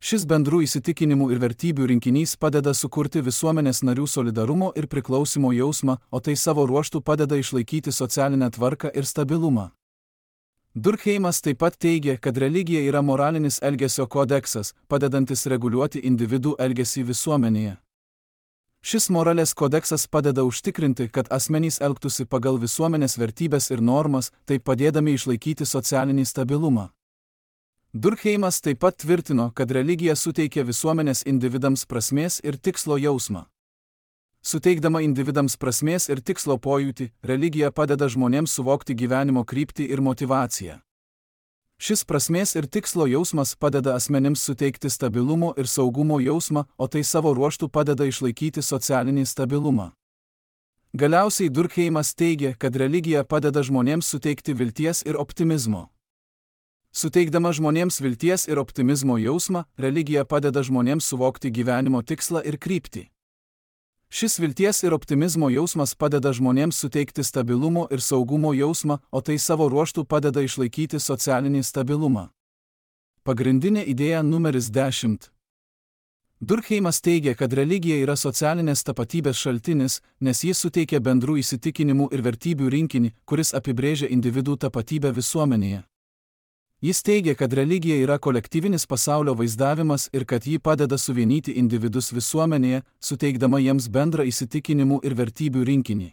Šis bendrų įsitikinimų ir vertybių rinkinys padeda sukurti visuomenės narių solidarumo ir priklausimo jausmą, o tai savo ruožtu padeda išlaikyti socialinę tvarką ir stabilumą. Durkheimas taip pat teigia, kad religija yra moralinis elgesio kodeksas, padedantis reguliuoti individų elgesį visuomenėje. Šis moralės kodeksas padeda užtikrinti, kad asmenys elgtųsi pagal visuomenės vertybės ir normas, taip padėdami išlaikyti socialinį stabilumą. Durkheimas taip pat tvirtino, kad religija suteikia visuomenės individams prasmės ir tikslo jausmą. Suteikdama individams prasmės ir tikslo pojūtį, religija padeda žmonėms suvokti gyvenimo kryptį ir motyvaciją. Šis prasmės ir tikslo jausmas padeda asmenims suteikti stabilumo ir saugumo jausmą, o tai savo ruožtu padeda išlaikyti socialinį stabilumą. Galiausiai Durkheimas teigia, kad religija padeda žmonėms suteikti vilties ir optimizmo. Suteikdama žmonėms vilties ir optimizmo jausmą, religija padeda žmonėms suvokti gyvenimo tikslą ir kryptį. Šis vilties ir optimizmo jausmas padeda žmonėms suteikti stabilumo ir saugumo jausmą, o tai savo ruožtu padeda išlaikyti socialinį stabilumą. Pagrindinė idėja numeris dešimt. Durkheimas teigia, kad religija yra socialinės tapatybės šaltinis, nes jis suteikia bendrų įsitikinimų ir vertybių rinkinį, kuris apibrėžia individų tapatybę visuomenėje. Jis teigia, kad religija yra kolektyvinis pasaulio vaizdavimas ir kad ji padeda suvienyti individus visuomenėje, suteikdama jiems bendrą įsitikinimų ir vertybių rinkinį.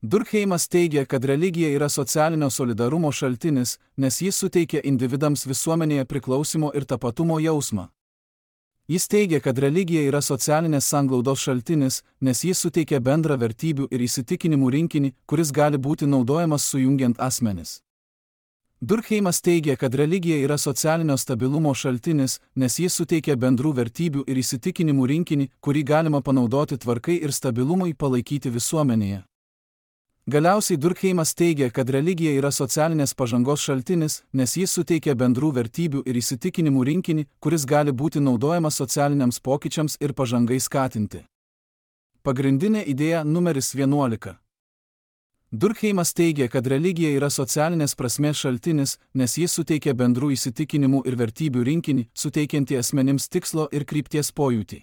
Durkheimas teigia, kad religija yra socialinio solidarumo šaltinis, nes jis suteikia individams visuomenėje priklausimo ir tapatumo jausmą. Jis teigia, kad religija yra socialinės sanglaudos šaltinis, nes jis suteikia bendrą vertybių ir įsitikinimų rinkinį, kuris gali būti naudojamas sujungiant asmenis. Durkheimas teigia, kad religija yra socialinio stabilumo šaltinis, nes jis suteikia bendrų vertybių ir įsitikinimų rinkinį, kurį galima panaudoti tvarkai ir stabilumui palaikyti visuomenėje. Galiausiai Durkheimas teigia, kad religija yra socialinės pažangos šaltinis, nes jis suteikia bendrų vertybių ir įsitikinimų rinkinį, kuris gali būti naudojamas socialiniams pokyčiams ir pažangai skatinti. Pagrindinė idėja numeris vienuolika. Durkheimas teigia, kad religija yra socialinės prasmės šaltinis, nes jis suteikia bendrų įsitikinimų ir vertybių rinkinį, suteikiantį asmenims tikslo ir krypties pojūtį.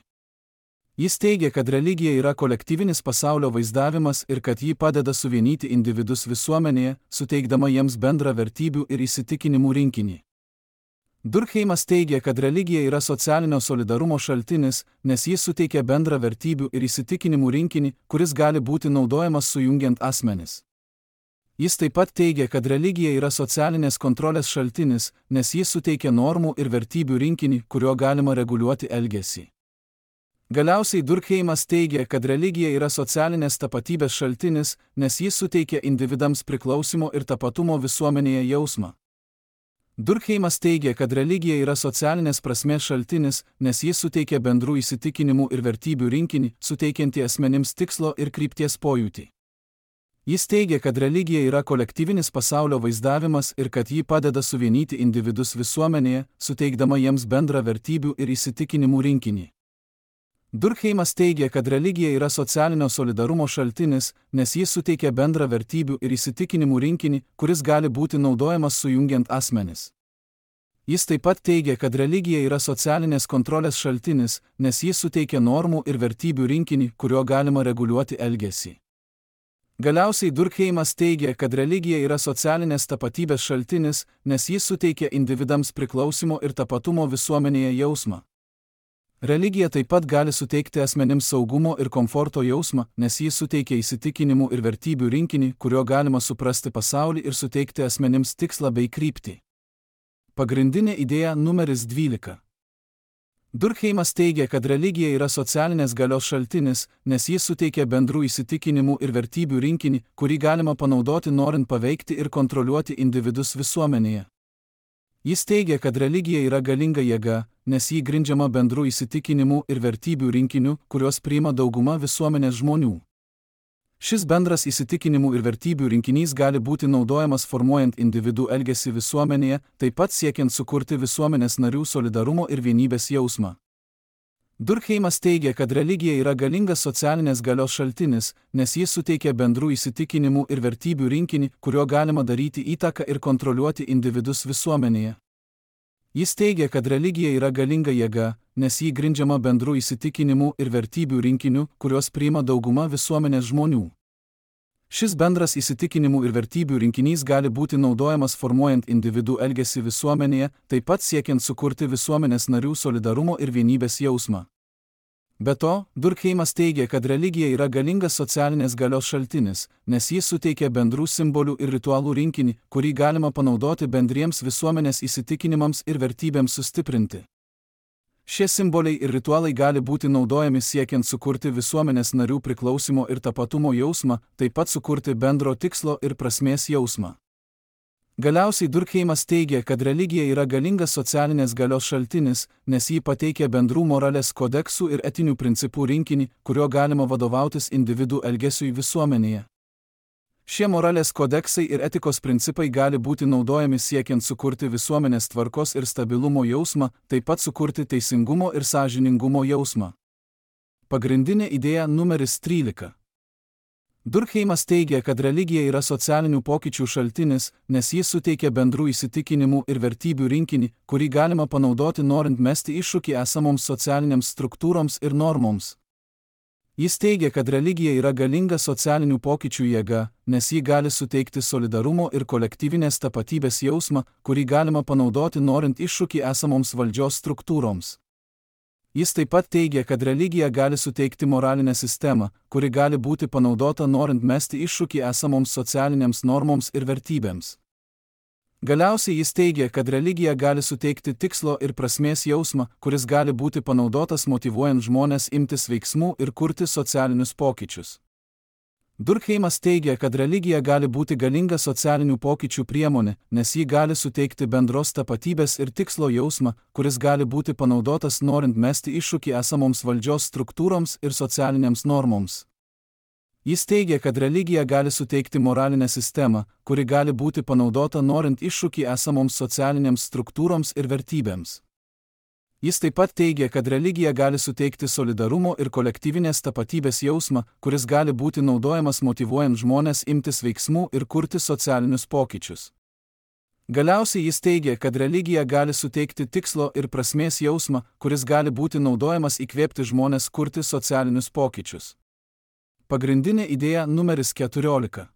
Jis teigia, kad religija yra kolektyvinis pasaulio vaizdavimas ir kad ji padeda suvienyti individus visuomenėje, suteikdama jiems bendrą vertybių ir įsitikinimų rinkinį. Durkheimas teigia, kad religija yra socialinio solidarumo šaltinis, nes jis suteikia bendrą vertybių ir įsitikinimų rinkinį, kuris gali būti naudojamas sujungiant asmenis. Jis taip pat teigia, kad religija yra socialinės kontrolės šaltinis, nes jis suteikia normų ir vertybių rinkinį, kurio galima reguliuoti elgesį. Galiausiai Durkheimas teigia, kad religija yra socialinės tapatybės šaltinis, nes jis suteikia individams priklausimo ir tapatumo visuomenėje jausmą. Durkheimas teigia, kad religija yra socialinės prasmės šaltinis, nes jis suteikia bendrų įsitikinimų ir vertybių rinkinį, suteikiantį asmenims tikslo ir krypties pojūtį. Jis teigia, kad religija yra kolektyvinis pasaulio vaizdavimas ir kad ji padeda suvienyti individus visuomenėje, suteikdama jiems bendrą vertybių ir įsitikinimų rinkinį. Durkheimas teigia, kad religija yra socialinio solidarumo šaltinis, nes jis suteikia bendrą vertybių ir įsitikinimų rinkinį, kuris gali būti naudojamas sujungiant asmenis. Jis taip pat teigia, kad religija yra socialinės kontrolės šaltinis, nes jis suteikia normų ir vertybių rinkinį, kurio galima reguliuoti elgesį. Galiausiai Durkheimas teigia, kad religija yra socialinės tapatybės šaltinis, nes jis suteikia individams priklausimo ir tapatumo visuomenėje jausmą. Religija taip pat gali suteikti asmenims saugumo ir komforto jausmą, nes jis suteikia įsitikinimų ir vertybių rinkinį, kurio galima suprasti pasaulį ir suteikti asmenims tikslą bei kryptį. Pagrindinė idėja numeris dvylika. Durkheimas teigia, kad religija yra socialinės galios šaltinis, nes jis suteikia bendrų įsitikinimų ir vertybių rinkinį, kurį galima panaudoti norint paveikti ir kontroliuoti individus visuomenėje. Jis teigia, kad religija yra galinga jėga, nes ji grindžiama bendrų įsitikinimų ir vertybių rinkiniu, kuriuos priima dauguma visuomenės žmonių. Šis bendras įsitikinimų ir vertybių rinkinys gali būti naudojamas formuojant individų elgesį visuomenėje, taip pat siekiant sukurti visuomenės narių solidarumo ir vienybės jausmą. Durkheimas teigia, kad religija yra galingas socialinės galios šaltinis, nes jis suteikia bendrų įsitikinimų ir vertybių rinkinį, kuriuo galima daryti įtaką ir kontroliuoti individus visuomenėje. Jis teigia, kad religija yra galinga jėga, nes ji grindžiama bendrų įsitikinimų ir vertybių rinkiniu, kuriuos priima dauguma visuomenės žmonių. Šis bendras įsitikinimų ir vertybių rinkinys gali būti naudojamas formuojant individų elgesį visuomenėje, taip pat siekiant sukurti visuomenės narių solidarumo ir vienybės jausmą. Be to, Durkheimas teigia, kad religija yra galingas socialinės galios šaltinis, nes jis suteikia bendrų simbolių ir ritualų rinkinį, kurį galima panaudoti bendriems visuomenės įsitikinimams ir vertybėms sustiprinti. Šie simboliai ir ritualai gali būti naudojami siekiant sukurti visuomenės narių priklausimo ir tapatumo jausmą, taip pat sukurti bendro tikslo ir prasmės jausmą. Galiausiai Durkheimas teigia, kad religija yra galingas socialinės galios šaltinis, nes jį pateikia bendrų moralės kodeksų ir etinių principų rinkinį, kuriuo galima vadovautis individų elgesiui visuomenėje. Šie moralės kodeksai ir etikos principai gali būti naudojami siekiant sukurti visuomenės tvarkos ir stabilumo jausmą, taip pat sukurti teisingumo ir sąžiningumo jausmą. Pagrindinė idėja numeris trylika. Durkheimas teigia, kad religija yra socialinių pokyčių šaltinis, nes jis suteikia bendrų įsitikinimų ir vertybių rinkinį, kurį galima panaudoti norint mesti iššūkį esamoms socialinėms struktūroms ir normoms. Jis teigia, kad religija yra galinga socialinių pokyčių jėga, nes ji gali suteikti solidarumo ir kolektyvinės tapatybės jausmą, kurį galima panaudoti norint iššūkį esamoms valdžios struktūroms. Jis taip pat teigia, kad religija gali suteikti moralinę sistemą, kuri gali būti panaudota norint mesti iššūkį esamoms socialinėms normoms ir vertybėms. Galiausiai jis teigia, kad religija gali suteikti tikslo ir prasmės jausmą, kuris gali būti panaudotas motyvuojant žmones imtis veiksmų ir kurti socialinius pokyčius. Durkheimas teigia, kad religija gali būti galinga socialinių pokyčių priemonė, nes ji gali suteikti bendros tapatybės ir tikslo jausmą, kuris gali būti panaudotas norint mesti iššūkį esamoms valdžios struktūroms ir socialinėms normoms. Jis teigia, kad religija gali suteikti moralinę sistemą, kuri gali būti panaudota norint iššūkį esamoms socialinėms struktūroms ir vertybėms. Jis taip pat teigia, kad religija gali suteikti solidarumo ir kolektyvinės tapatybės jausmą, kuris gali būti naudojamas motyvuojant žmones imtis veiksmų ir kurti socialinius pokyčius. Galiausiai jis teigia, kad religija gali suteikti tikslo ir prasmės jausmą, kuris gali būti naudojamas įkvėpti žmones kurti socialinius pokyčius. Pagrindinė idėja numeris keturiolika.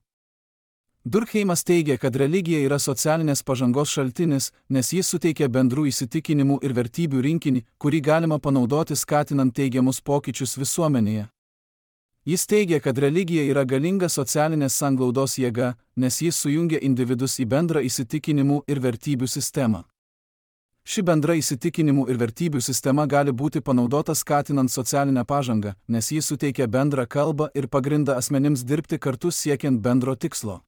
Durkheimas teigia, kad religija yra socialinės pažangos šaltinis, nes jis suteikia bendrų įsitikinimų ir vertybių rinkinį, kurį galima panaudoti skatinant teigiamus pokyčius visuomenėje. Jis teigia, kad religija yra galinga socialinės sanglaudos jėga, nes jis sujungia individus į bendrą įsitikinimų ir vertybių sistemą. Ši bendra įsitikinimų ir vertybių sistema gali būti panaudota skatinant socialinę pažangą, nes jis suteikia bendrą kalbą ir pagrindą asmenims dirbti kartu siekiant bendro tikslo.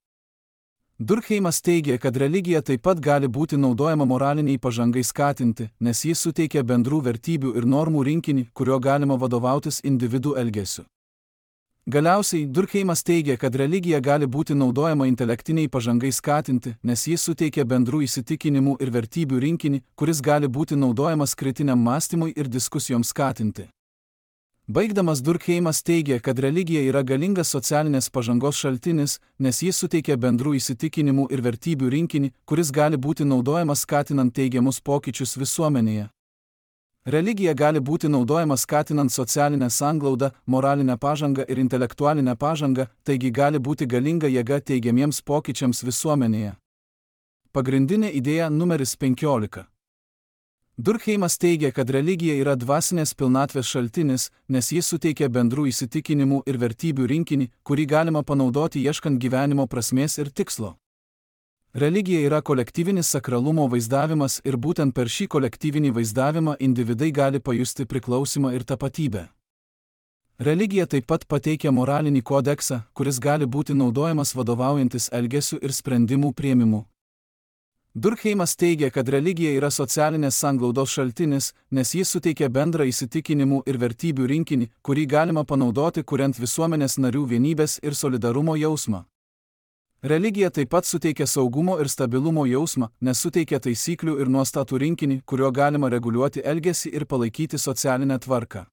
Durkheimas teigia, kad religija taip pat gali būti naudojama moraliniai pažangai skatinti, nes jis suteikia bendrų vertybių ir normų rinkinį, kurio galima vadovautis individų elgesiu. Galiausiai, Durkheimas teigia, kad religija gali būti naudojama intelektiniai pažangai skatinti, nes jis suteikia bendrų įsitikinimų ir vertybių rinkinį, kuris gali būti naudojamas kritiniam mąstymui ir diskusijoms skatinti. Baigdamas Durkheimas teigia, kad religija yra galingas socialinės pažangos šaltinis, nes jis suteikia bendrų įsitikinimų ir vertybių rinkinį, kuris gali būti naudojamas skatinant teigiamus pokyčius visuomenėje. Religija gali būti naudojama skatinant socialinę sanglaudą, moralinę pažangą ir intelektualinę pažangą, taigi gali būti galinga jėga teigiamiems pokyčiams visuomenėje. Pagrindinė idėja numeris penkiolika. Durkheimas teigia, kad religija yra dvasinės pilnatvės šaltinis, nes jis suteikia bendrų įsitikinimų ir vertybių rinkinį, kurį galima panaudoti ieškant gyvenimo prasmės ir tikslo. Religija yra kolektyvinis sakralumo vaizdavimas ir būtent per šį kolektyvinį vaizdavimą individai gali pajusti priklausimą ir tapatybę. Religija taip pat pateikia moralinį kodeksą, kuris gali būti naudojamas vadovaujantis elgesiu ir sprendimų priėmimu. Durkheimas teigia, kad religija yra socialinės sanglaudos šaltinis, nes jis suteikia bendrą įsitikinimų ir vertybių rinkinį, kurį galima panaudoti kuriant visuomenės narių vienybės ir solidarumo jausmą. Religija taip pat suteikia saugumo ir stabilumo jausmą, nes suteikia taisyklių ir nuostatų rinkinį, kuriuo galima reguliuoti elgesį ir palaikyti socialinę tvarką.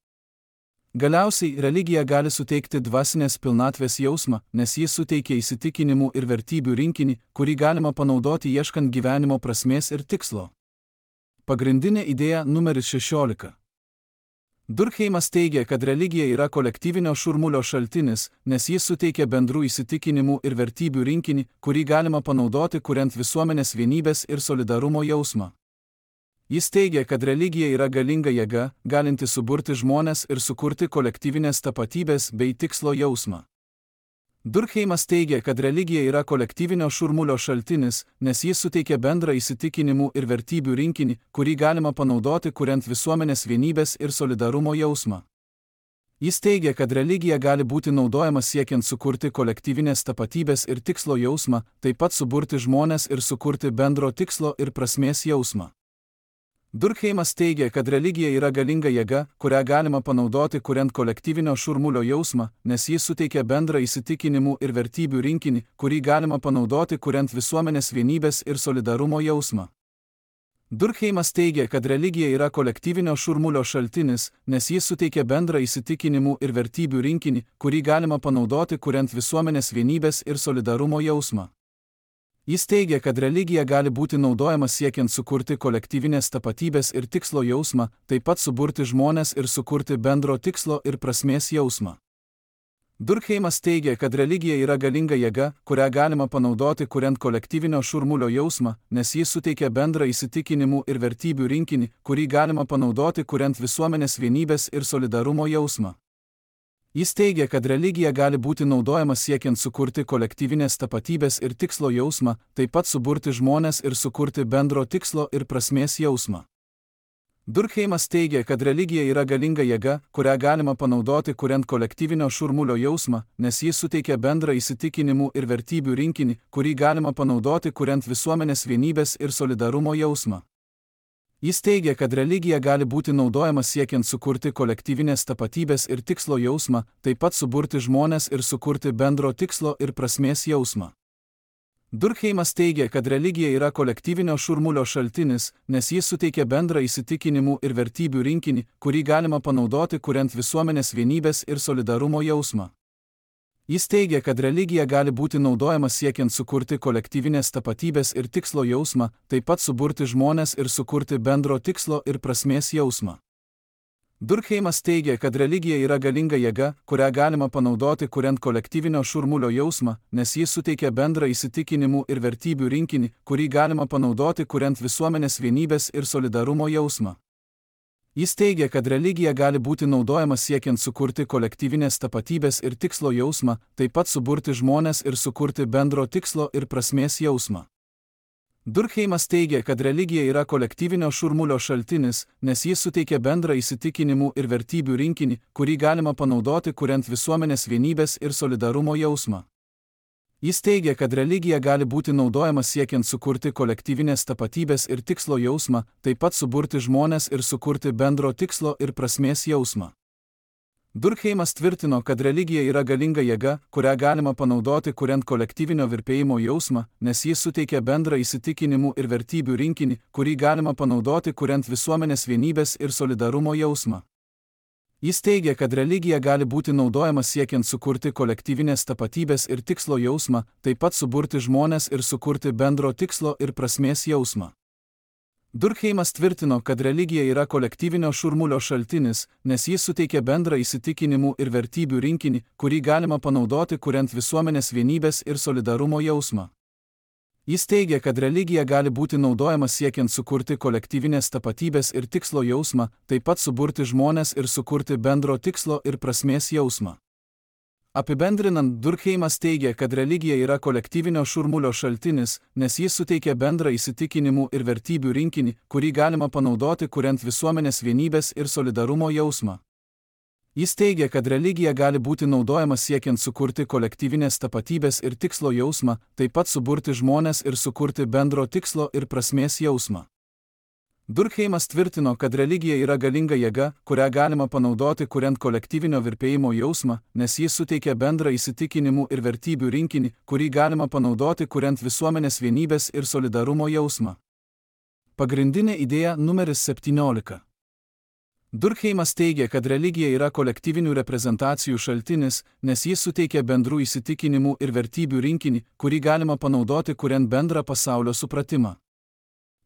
Galiausiai, religija gali suteikti dvasinės pilnatvės jausmą, nes jis suteikia įsitikinimų ir vertybių rinkinį, kurį galima panaudoti ieškant gyvenimo prasmės ir tikslo. Pagrindinė idėja numeris šešiolika. Durkheimas teigia, kad religija yra kolektyvinio šurmulio šaltinis, nes jis suteikia bendrų įsitikinimų ir vertybių rinkinį, kurį galima panaudoti kuriant visuomenės vienybės ir solidarumo jausmą. Jis teigia, kad religija yra galinga jėga, galinti suburti žmones ir sukurti kolektyvinės tapatybės bei tikslo jausmą. Durkheimas teigia, kad religija yra kolektyvinio šurmulio šaltinis, nes jis suteikia bendrą įsitikinimų ir vertybių rinkinį, kurį galima panaudoti kuriant visuomenės vienybės ir solidarumo jausmą. Jis teigia, kad religija gali būti naudojama siekiant sukurti kolektyvinės tapatybės ir tikslo jausmą, taip pat suburti žmones ir sukurti bendro tikslo ir prasmės jausmą. Durkheimas teigia, kad religija yra galinga jėga, kurią galima panaudoti kuriant kolektyvinio šurmulio jausmą, nes jis suteikia bendrą įsitikinimų ir vertybių rinkinį, kurį galima panaudoti kuriant visuomenės vienybės ir solidarumo jausmą. Durkheimas teigia, kad religija yra kolektyvinio šurmulio šaltinis, nes jis suteikia bendrą įsitikinimų ir vertybių rinkinį, kurį galima panaudoti kuriant visuomenės vienybės ir solidarumo jausmą. Jis teigia, kad religija gali būti naudojama siekiant sukurti kolektyvinės tapatybės ir tikslo jausmą, taip pat suburti žmones ir sukurti bendro tikslo ir prasmės jausmą. Durkheimas teigia, kad religija yra galinga jėga, kurią galima panaudoti kuriant kolektyvinio šurmulio jausmą, nes jis suteikia bendrą įsitikinimų ir vertybių rinkinį, kurį galima panaudoti kuriant visuomenės vienybės ir solidarumo jausmą. Jis teigia, kad religija gali būti naudojama siekiant sukurti kolektyvinės tapatybės ir tikslo jausmą, taip pat suburti žmones ir sukurti bendro tikslo ir prasmės jausmą. Durkheimas teigia, kad religija yra galinga jėga, kurią galima panaudoti kuriant kolektyvinio šurmulio jausmą, nes jis suteikia bendrą įsitikinimų ir vertybių rinkinį, kurį galima panaudoti kuriant visuomenės vienybės ir solidarumo jausmą. Jis teigia, kad religija gali būti naudojama siekiant sukurti kolektyvinės tapatybės ir tikslo jausmą, taip pat suburti žmones ir sukurti bendro tikslo ir prasmės jausmą. Durkheimas teigia, kad religija yra kolektyvinio šurmulio šaltinis, nes jis suteikia bendrą įsitikinimų ir vertybių rinkinį, kurį galima panaudoti kuriant visuomenės vienybės ir solidarumo jausmą. Jis teigia, kad religija gali būti naudojama siekiant sukurti kolektyvinės tapatybės ir tikslo jausmą, taip pat suburti žmones ir sukurti bendro tikslo ir prasmės jausmą. Durkheimas teigia, kad religija yra galinga jėga, kurią galima panaudoti kuriant kolektyvinio šurmulio jausmą, nes jis suteikia bendrą įsitikinimų ir vertybių rinkinį, kurį galima panaudoti kuriant visuomenės vienybės ir solidarumo jausmą. Jis teigia, kad religija gali būti naudojama siekiant sukurti kolektyvinės tapatybės ir tikslo jausmą, taip pat suburti žmones ir sukurti bendro tikslo ir prasmės jausmą. Durkheimas teigia, kad religija yra kolektyvinio šurmulio šaltinis, nes jis suteikia bendrą įsitikinimų ir vertybių rinkinį, kurį galima panaudoti kuriant visuomenės vienybės ir solidarumo jausmą. Jis teigia, kad religija gali būti naudojama siekiant sukurti kolektyvinės tapatybės ir tikslo jausmą, taip pat suburti žmones ir sukurti bendro tikslo ir prasmės jausmą. Durkheimas tvirtino, kad religija yra galinga jėga, kurią galima panaudoti kuriant kolektyvinio virpėjimo jausmą, nes jis suteikia bendrą įsitikinimų ir vertybių rinkinį, kurį galima panaudoti kuriant visuomenės vienybės ir solidarumo jausmą. Jis teigia, kad religija gali būti naudojama siekiant sukurti kolektyvinės tapatybės ir tikslo jausmą, taip pat suburti žmones ir sukurti bendro tikslo ir prasmės jausmą. Durkheimas tvirtino, kad religija yra kolektyvinio šurmulio šaltinis, nes jis suteikia bendrą įsitikinimų ir vertybių rinkinį, kurį galima panaudoti kuriant visuomenės vienybės ir solidarumo jausmą. Jis teigia, kad religija gali būti naudojama siekiant sukurti kolektyvinės tapatybės ir tikslo jausmą, taip pat suburti žmones ir sukurti bendro tikslo ir prasmės jausmą. Apibendrinant, Durkheimas teigia, kad religija yra kolektyvinio šurmulio šaltinis, nes jis suteikia bendrą įsitikinimų ir vertybių rinkinį, kurį galima panaudoti kuriant visuomenės vienybės ir solidarumo jausmą. Jis teigia, kad religija gali būti naudojama siekiant sukurti kolektyvinės tapatybės ir tikslo jausmą, taip pat suburti žmones ir sukurti bendro tikslo ir prasmės jausmą. Durkheimas tvirtino, kad religija yra galinga jėga, kurią galima panaudoti kuriant kolektyvinio virpėjimo jausmą, nes jis suteikia bendrą įsitikinimų ir vertybių rinkinį, kurį galima panaudoti kuriant visuomenės vienybės ir solidarumo jausmą. Pagrindinė idėja numeris septyniolika. Durkheimas teigia, kad religija yra kolektyvinių reprezentacijų šaltinis, nes jis suteikia bendrų įsitikinimų ir vertybių rinkinį, kurį galima panaudoti kuriant bendrą pasaulio supratimą.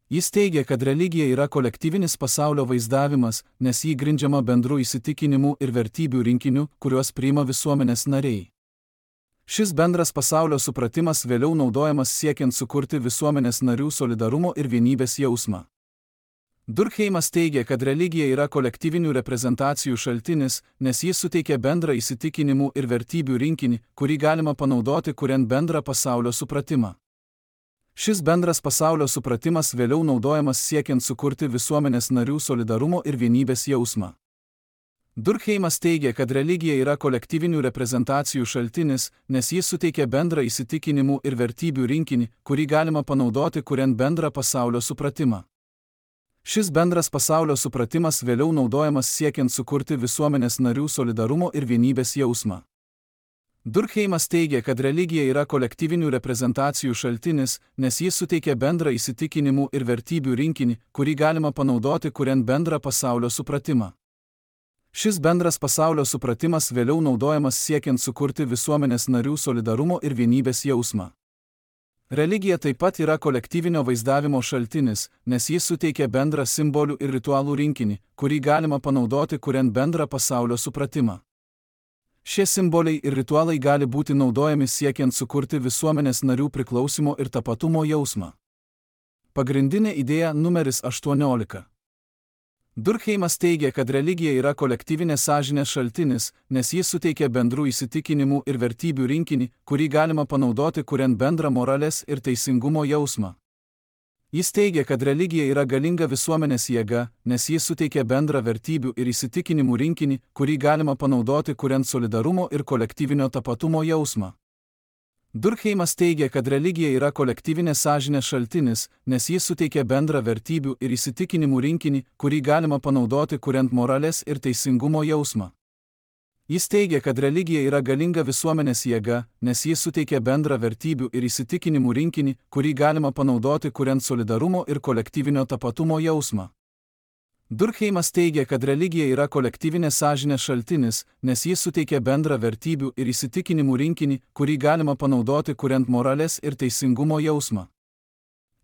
Jis teigia, kad religija yra kolektyvinis pasaulio vaizdavimas, nes jį grindžiama bendrų įsitikinimų ir vertybių rinkiniu, kuriuos priima visuomenės nariai. Šis bendras pasaulio supratimas vėliau naudojamas siekiant sukurti visuomenės narių solidarumo ir vienybės jausmą. Durkheimas teigia, kad religija yra kolektyvinių reprezentacijų šaltinis, nes jis suteikia bendrą įsitikinimų ir vertybių rinkinį, kurį galima panaudoti kuriant bendrą pasaulio supratimą. Šis bendras pasaulio supratimas vėliau naudojamas siekiant sukurti visuomenės narių solidarumo ir vienybės jausmą. Durkheimas teigia, kad religija yra kolektyvinių reprezentacijų šaltinis, nes jis suteikia bendrą įsitikinimų ir vertybių rinkinį, kurį galima panaudoti kuriant bendrą pasaulio supratimą. Šis bendras pasaulio supratimas vėliau naudojamas siekiant sukurti visuomenės narių solidarumo ir vienybės jausmą. Durkheimas teigia, kad religija yra kolektyvinių reprezentacijų šaltinis, nes jis suteikia bendrą įsitikinimų ir vertybių rinkinį, kurį galima panaudoti kuriant bendrą pasaulio supratimą. Šis bendras pasaulio supratimas vėliau naudojamas siekiant sukurti visuomenės narių solidarumo ir vienybės jausmą. Religija taip pat yra kolektyvinio vaizdavimo šaltinis, nes jis suteikia bendrą simbolių ir ritualų rinkinį, kurį galima panaudoti kuriant bendrą pasaulio supratimą. Šie simboliai ir ritualai gali būti naudojami siekiant sukurti visuomenės narių priklausimo ir tapatumo jausmą. Pagrindinė idėja numeris aštuoniolika. Durkheimas teigia, kad religija yra kolektyvinės sąžinės šaltinis, nes jis suteikia bendrų įsitikinimų ir vertybių rinkinį, kurį galima panaudoti kuriant bendrą moralės ir teisingumo jausmą. Jis teigia, kad religija yra galinga visuomenės jėga, nes jis suteikia bendrą vertybių ir įsitikinimų rinkinį, kurį galima panaudoti kuriant solidarumo ir kolektyvinio tapatumo jausmą. Durkheimas teigia, kad religija yra kolektyvinės sąžinės šaltinis, nes jis suteikia bendrą vertybių ir įsitikinimų rinkinį, kurį galima panaudoti kuriant moralės ir teisingumo jausmą. Jis teigia, kad religija yra galinga visuomenės jėga, nes jis suteikia bendrą vertybių ir įsitikinimų rinkinį, kurį galima panaudoti kuriant solidarumo ir kolektyvinio tapatumo jausmą. Durkheimas teigia, kad religija yra kolektyvinės sąžinės šaltinis, nes jis suteikia bendrą vertybių ir įsitikinimų rinkinį, kurį galima panaudoti kuriant moralės ir teisingumo jausmą.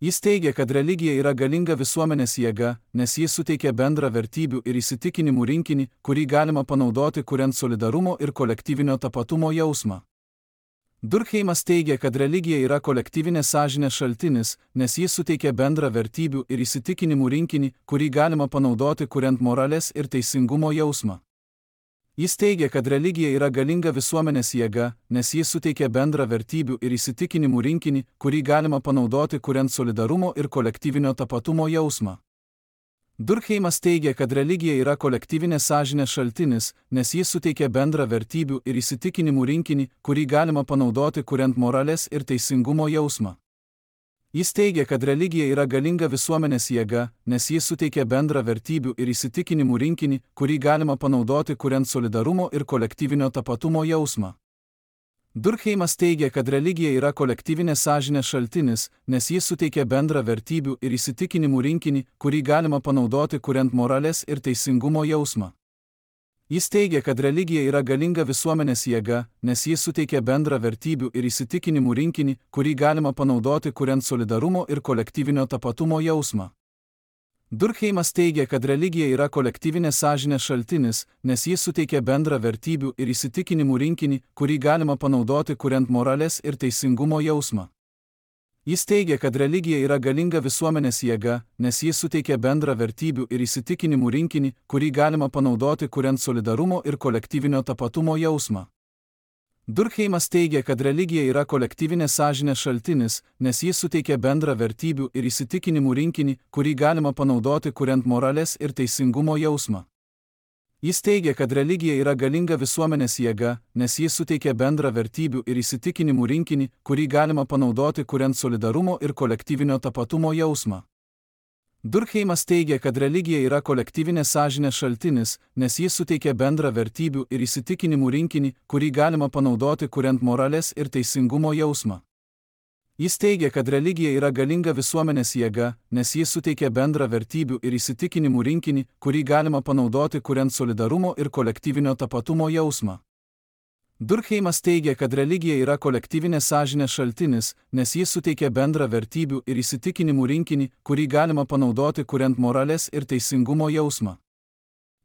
Jis teigia, kad religija yra galinga visuomenės jėga, nes jis suteikia bendrą vertybių ir įsitikinimų rinkinį, kurį galima panaudoti kuriant solidarumo ir kolektyvinio tapatumo jausmą. Durkheimas teigia, kad religija yra kolektyvinės sąžinės šaltinis, nes jis suteikia bendrą vertybių ir įsitikinimų rinkinį, kurį galima panaudoti kuriant moralės ir teisingumo jausmą. Jis teigia, kad religija yra galinga visuomenės jėga, nes jis suteikia bendrą vertybių ir įsitikinimų rinkinį, kurį galima panaudoti kuriant solidarumo ir kolektyvinio tapatumo jausmą. Durkheimas teigia, kad religija yra kolektyvinės sąžinės šaltinis, nes jis suteikia bendrą vertybių ir įsitikinimų rinkinį, kurį galima panaudoti kuriant moralės ir teisingumo jausmą. Jis teigia, kad religija yra galinga visuomenės jėga, nes jis suteikia bendrą vertybių ir įsitikinimų rinkinį, kurį galima panaudoti kuriant solidarumo ir kolektyvinio tapatumo jausmą. Durkheimas teigia, kad religija yra kolektyvinės sąžinės šaltinis, nes jis suteikia bendrą vertybių ir įsitikinimų rinkinį, kurį galima panaudoti kuriant moralės ir teisingumo jausmą. Jis teigia, kad religija yra galinga visuomenės jėga, nes jis suteikia bendrą vertybių ir įsitikinimų rinkinį, kurį galima panaudoti kuriant solidarumo ir kolektyvinio tapatumo jausmą. Durkheimas teigia, kad religija yra kolektyvinės sąžinės šaltinis, nes jis suteikia bendrą vertybių ir įsitikinimų rinkinį, kurį galima panaudoti kuriant moralės ir teisingumo jausmą. Jis teigia, kad religija yra galinga visuomenės jėga, nes jis suteikia bendrą vertybių ir įsitikinimų rinkinį, kurį galima panaudoti kuriant solidarumo ir kolektyvinio tapatumo jausmą. Durkheimas teigia, kad religija yra kolektyvinės sąžinės šaltinis, nes jis suteikia bendrą vertybių ir įsitikinimų rinkinį, kurį galima panaudoti kuriant moralės ir teisingumo jausmą. Jis teigia, kad religija yra galinga visuomenės jėga, nes jis suteikia bendrą vertybių ir įsitikinimų rinkinį, kurį galima panaudoti kuriant solidarumo ir kolektyvinio tapatumo jausmą. Durkheimas teigia, kad religija yra kolektyvinės sąžinės šaltinis, nes jis suteikia bendrą vertybių ir įsitikinimų rinkinį, kurį galima panaudoti kuriant moralės ir teisingumo jausmą. Jis teigia, kad religija yra galinga visuomenės jėga, nes jis suteikia bendrą vertybių ir įsitikinimų rinkinį, kurį galima panaudoti kuriant solidarumo ir kolektyvinio tapatumo jausmą. Durkheimas teigia, kad religija yra kolektyvinės sąžinės šaltinis, nes jis suteikia bendrą vertybių ir įsitikinimų rinkinį, kurį galima panaudoti kuriant moralės ir teisingumo jausmą.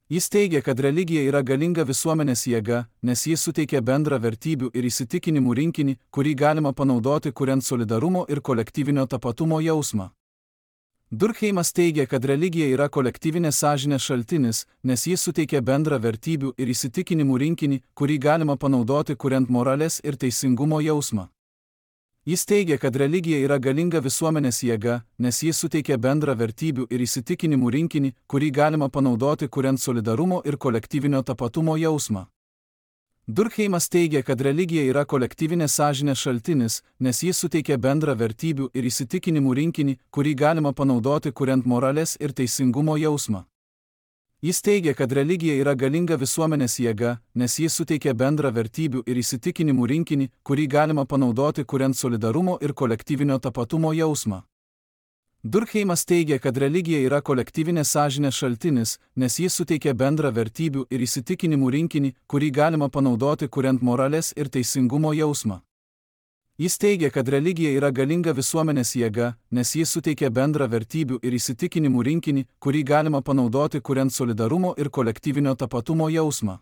Jis teigia, kad religija yra galinga visuomenės jėga, nes jis suteikia bendrą vertybių ir įsitikinimų rinkinį, kurį galima panaudoti kuriant solidarumo ir kolektyvinio tapatumo jausmą. Durkheimas teigia, kad religija yra kolektyvinės sąžinės šaltinis, nes jis suteikia bendrą vertybių ir įsitikinimų rinkinį, kurį galima panaudoti kuriant moralės ir teisingumo jausmą. Jis teigia, kad religija yra galinga visuomenės jėga, nes jis suteikia bendrą vertybių ir įsitikinimų rinkinį, kurį galima panaudoti kuriant solidarumo ir kolektyvinio tapatumo jausmą. Durkheimas teigia, kad religija yra kolektyvinės sąžinės šaltinis, nes jis suteikia bendrą vertybių ir įsitikinimų rinkinį, kurį galima panaudoti kuriant moralės ir teisingumo jausmą. Jis teigia, kad religija yra galinga visuomenės jėga, nes jis suteikia bendrą vertybių ir įsitikinimų rinkinį, kurį galima panaudoti kuriant solidarumo ir kolektyvinio tapatumo jausmą. Durkheimas teigia, kad religija yra kolektyvinės sąžinės šaltinis, nes jis suteikia bendrą vertybių ir įsitikinimų rinkinį, kurį galima panaudoti kuriant moralės ir teisingumo jausmą. Jis teigia, kad religija yra galinga visuomenės jėga, nes jis suteikia bendrą vertybių ir įsitikinimų rinkinį, kurį galima panaudoti kuriant solidarumo ir kolektyvinio tapatumo jausmą.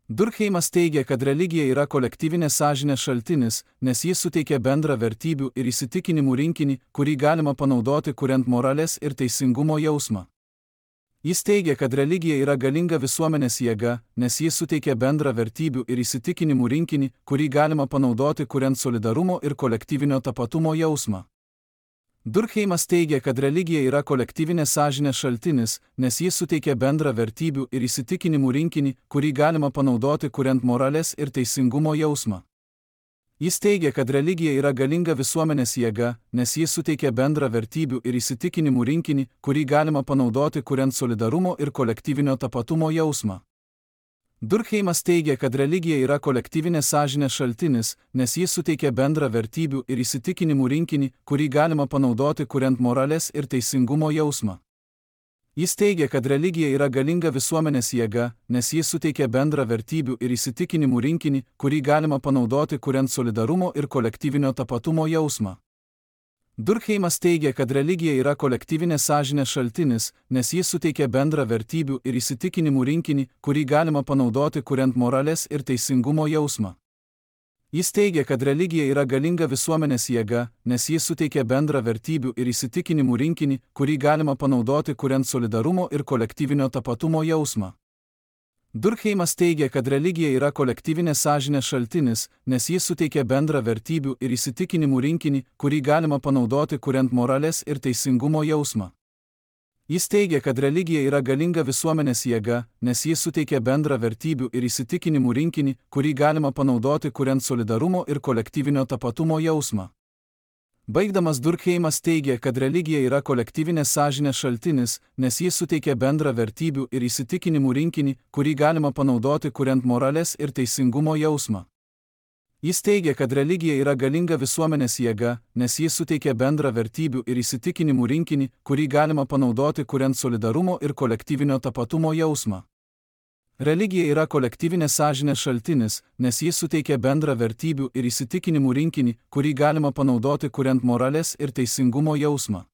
Durkheimas teigia, kad religija yra kolektyvinės sąžinės šaltinis, nes jis suteikia bendrą vertybių ir įsitikinimų rinkinį, kurį galima panaudoti kuriant moralės ir teisingumo jausmą. Jis teigia, kad religija yra galinga visuomenės jėga, nes jis suteikia bendrą vertybių ir įsitikinimų rinkinį, kurį galima panaudoti kuriant solidarumo ir kolektyvinio tapatumo jausmą. Durkheimas teigia, kad religija yra kolektyvinės sąžinės šaltinis, nes jis suteikia bendrą vertybių ir įsitikinimų rinkinį, kurį galima panaudoti kuriant moralės ir teisingumo jausmą. Jis teigia, kad religija yra galinga visuomenės jėga, nes jis suteikia bendrą vertybių ir įsitikinimų rinkinį, kurį galima panaudoti kuriant solidarumo ir kolektyvinio tapatumo jausmą. Durkheimas teigia, kad religija yra kolektyvinės sąžinės šaltinis, nes jis suteikia bendrą vertybių ir įsitikinimų rinkinį, kurį galima panaudoti kuriant moralės ir teisingumo jausmą. Jis teigia, kad religija yra galinga visuomenės jėga, nes jis suteikia bendrą vertybių ir įsitikinimų rinkinį, kurį galima panaudoti kuriant solidarumo ir kolektyvinio tapatumo jausmą. Durkheimas teigia, kad religija yra kolektyvinės sąžinės šaltinis, nes jis suteikia bendrą vertybių ir įsitikinimų rinkinį, kurį galima panaudoti kuriant moralės ir teisingumo jausmą. Jis teigia, kad religija yra galinga visuomenės jėga, nes jis suteikia bendrą vertybių ir įsitikinimų rinkinį, kurį galima panaudoti kuriant solidarumo ir kolektyvinio tapatumo jausmą. Durkheimas teigia, kad religija yra kolektyvinės sąžinės šaltinis, nes jis suteikia bendrą vertybių ir įsitikinimų rinkinį, kurį galima panaudoti kuriant moralės ir teisingumo jausmą. Jis teigia, kad religija yra galinga visuomenės jėga, nes jis suteikia bendrą vertybių ir įsitikinimų rinkinį, kurį galima panaudoti kuriant solidarumo ir kolektyvinio tapatumo jausmą. Baigdamas Durkheimas teigia, kad religija yra kolektyvinės sąžinės šaltinis, nes jis suteikia bendrą vertybių ir įsitikinimų rinkinį, kurį galima panaudoti kuriant moralės ir teisingumo jausmą. Jis teigia, kad religija yra galinga visuomenės jėga, nes jis suteikia bendrą vertybių ir įsitikinimų rinkinį, kurį galima panaudoti kuriant solidarumo ir kolektyvinio tapatumo jausmą. Religija yra kolektyvinės sąžinės šaltinis, nes jis suteikia bendrą vertybių ir įsitikinimų rinkinį, kurį galima panaudoti kuriant moralės ir teisingumo jausmą.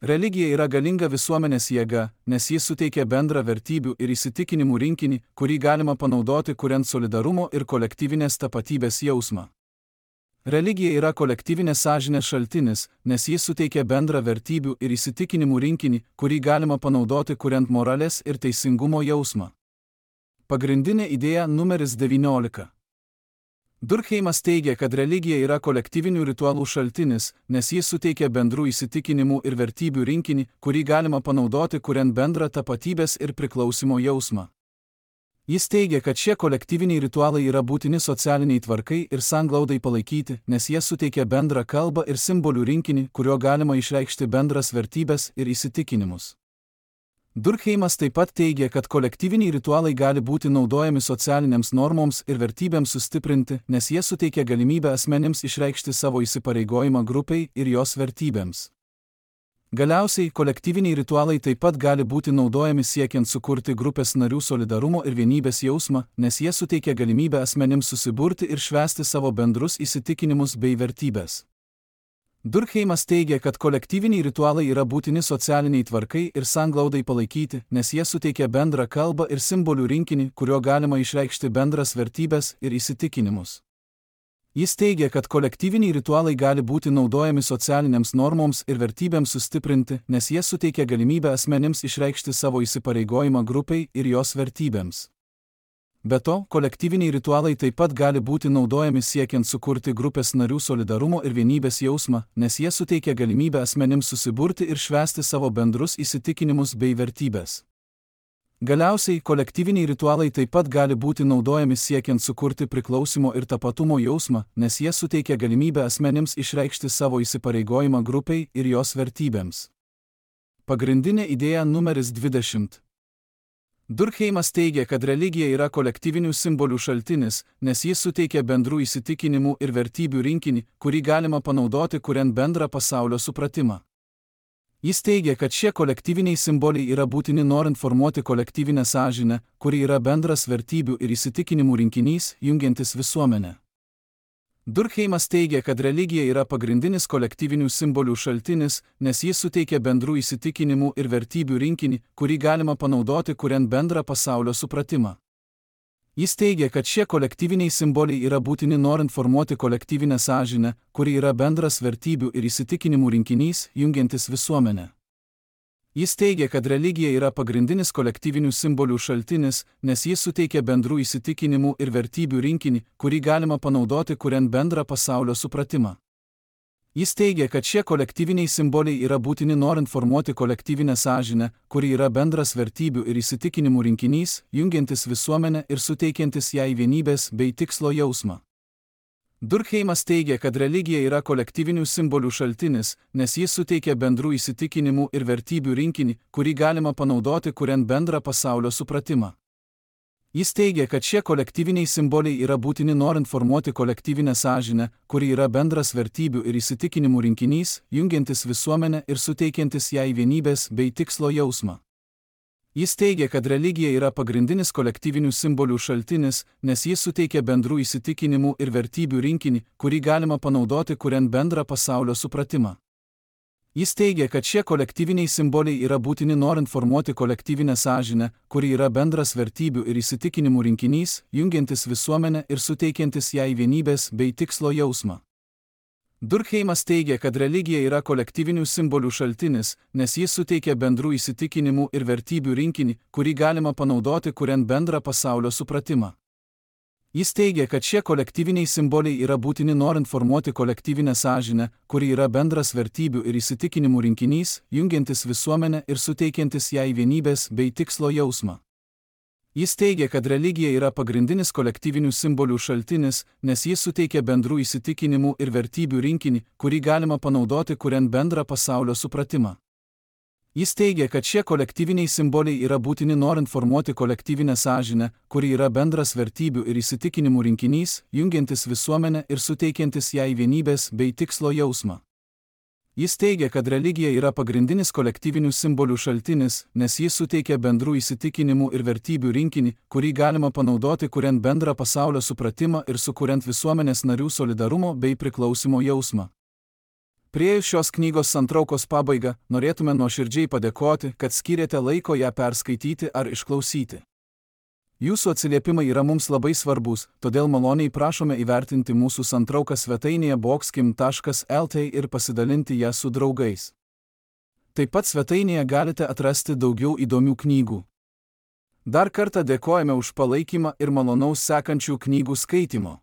Religija yra galinga visuomenės jėga, nes jis suteikia bendrą vertybių ir įsitikinimų rinkinį, kurį galima panaudoti kuriant solidarumo ir kolektyvinės tapatybės jausmą. Religija yra kolektyvinės sąžinės šaltinis, nes jis suteikia bendrą vertybių ir įsitikinimų rinkinį, kurį galima panaudoti kuriant moralės ir teisingumo jausmą. Pagrindinė idėja numeris devyniolika. Durkheimas teigia, kad religija yra kolektyvinių ritualų šaltinis, nes jis suteikia bendrų įsitikinimų ir vertybių rinkinį, kurį galima panaudoti kuriant bendrą tapatybės ir priklausimo jausmą. Jis teigia, kad šie kolektyviniai ritualai yra būtini socialiniai tvarkai ir sanglaudai palaikyti, nes jie suteikia bendrą kalbą ir simbolių rinkinį, kuriuo galima išreikšti bendras vertybės ir įsitikinimus. Durkheimas taip pat teigia, kad kolektyviniai ritualai gali būti naudojami socialinėms normoms ir vertybėms sustiprinti, nes jie suteikia galimybę asmenims išreikšti savo įsipareigojimą grupiai ir jos vertybėms. Galiausiai, kolektyviniai ritualai taip pat gali būti naudojami siekiant sukurti grupės narių solidarumo ir vienybės jausmą, nes jie suteikia galimybę asmenims susiburti ir švęsti savo bendrus įsitikinimus bei vertybės. Durkheimas teigia, kad kolektyviniai ritualai yra būtini socialiniai tvarkai ir sanglaudai palaikyti, nes jie suteikia bendrą kalbą ir simbolių rinkinį, kuriuo galima išreikšti bendras vertybės ir įsitikinimus. Jis teigia, kad kolektyviniai ritualai gali būti naudojami socialinėms normoms ir vertybėms sustiprinti, nes jie suteikia galimybę asmenims išreikšti savo įsipareigojimą grupiai ir jos vertybėms. Be to, kolektyviniai ritualai taip pat gali būti naudojami siekiant sukurti grupės narių solidarumo ir vienybės jausmą, nes jie suteikia galimybę asmenims susiburti ir švęsti savo bendrus įsitikinimus bei vertybės. Galiausiai, kolektyviniai ritualai taip pat gali būti naudojami siekiant sukurti priklausimo ir tapatumo jausmą, nes jie suteikia galimybę asmenims išreikšti savo įsipareigojimą grupiai ir jos vertybėms. Pagrindinė idėja numeris dvidešimt. Durkheimas teigia, kad religija yra kolektyvinių simbolių šaltinis, nes jis suteikia bendrų įsitikinimų ir vertybių rinkinį, kurį galima panaudoti kuriant bendrą pasaulio supratimą. Jis teigia, kad šie kolektyviniai simboliai yra būtini norint formuoti kolektyvinę sąžinę, kuri yra bendras vertybių ir įsitikinimų rinkinys, jungiantis visuomenę. Durkheimas teigia, kad religija yra pagrindinis kolektyvinių simbolių šaltinis, nes jis suteikia bendrų įsitikinimų ir vertybių rinkinį, kurį galima panaudoti kuriant bendrą pasaulio supratimą. Jis teigia, kad šie kolektyviniai simboliai yra būtini norint formuoti kolektyvinę sąžinę, kuri yra bendras vertybių ir įsitikinimų rinkinys, jungiantis visuomenę. Jis teigia, kad religija yra pagrindinis kolektyvinių simbolių šaltinis, nes jis suteikia bendrų įsitikinimų ir vertybių rinkinį, kurį galima panaudoti kuriant bendrą pasaulio supratimą. Jis teigia, kad šie kolektyviniai simboliai yra būtini norint formuoti kolektyvinę sąžinę, kuri yra bendras vertybių ir įsitikinimų rinkinys, jungiantis visuomenę ir suteikiantis jai vienybės bei tikslo jausmą. Durkheimas teigia, kad religija yra kolektyvinių simbolių šaltinis, nes jis suteikia bendrų įsitikinimų ir vertybių rinkinį, kurį galima panaudoti kuriant bendrą pasaulio supratimą. Jis teigia, kad šie kolektyviniai simboliai yra būtini norint formuoti kolektyvinę sąžinę, kuri yra bendras vertybių ir įsitikinimų rinkinys, jungiantis visuomenę ir suteikiantis jai vienybės bei tikslo jausmą. Jis teigia, kad religija yra pagrindinis kolektyvinių simbolių šaltinis, nes jis suteikia bendrų įsitikinimų ir vertybių rinkinį, kurį galima panaudoti kuriant bendrą pasaulio supratimą. Jis teigia, kad šie kolektyviniai simboliai yra būtini norint formuoti kolektyvinę sąžinę, kuri yra bendras vertybių ir įsitikinimų rinkinys, jungiantis visuomenę ir suteikiantis jai vienybės bei tikslo jausmą. Durkheimas teigia, kad religija yra kolektyvinių simbolių šaltinis, nes jis suteikia bendrų įsitikinimų ir vertybių rinkinį, kurį galima panaudoti kuriant bendrą pasaulio supratimą. Jis teigia, kad šie kolektyviniai simboliai yra būtini norint formuoti kolektyvinę sąžinę, kuri yra bendras vertybių ir įsitikinimų rinkinys, jungiantis visuomenę ir suteikiantis jai vienybės bei tikslo jausmą. Jis teigia, kad religija yra pagrindinis kolektyvinių simbolių šaltinis, nes jis suteikia bendrų įsitikinimų ir vertybių rinkinį, kurį galima panaudoti kuriant bendrą pasaulio supratimą. Jis teigia, kad šie kolektyviniai simboliai yra būtini norint formuoti kolektyvinę sąžinę, kuri yra bendras vertybių ir įsitikinimų rinkinys, jungiantis visuomenę ir suteikiantis jai vienybės bei tikslo jausmą. Jis teigia, kad religija yra pagrindinis kolektyvinių simbolių šaltinis, nes jis suteikia bendrų įsitikinimų ir vertybių rinkinį, kurį galima panaudoti kuriant bendrą pasaulio supratimą ir sukuriant visuomenės narių solidarumo bei priklausimo jausmą. Priėjus šios knygos santraukos pabaigą, norėtume nuoširdžiai padėkoti, kad skyrėte laiko ją perskaityti ar išklausyti. Jūsų atsiliepimai yra mums labai svarbus, todėl maloniai prašome įvertinti mūsų santrauką svetainėje boxkim taškas el t ir pasidalinti ją su draugais. Taip pat svetainėje galite atrasti daugiau įdomių knygų. Dar kartą dėkojame už palaikymą ir malonaus sekančių knygų skaitimo.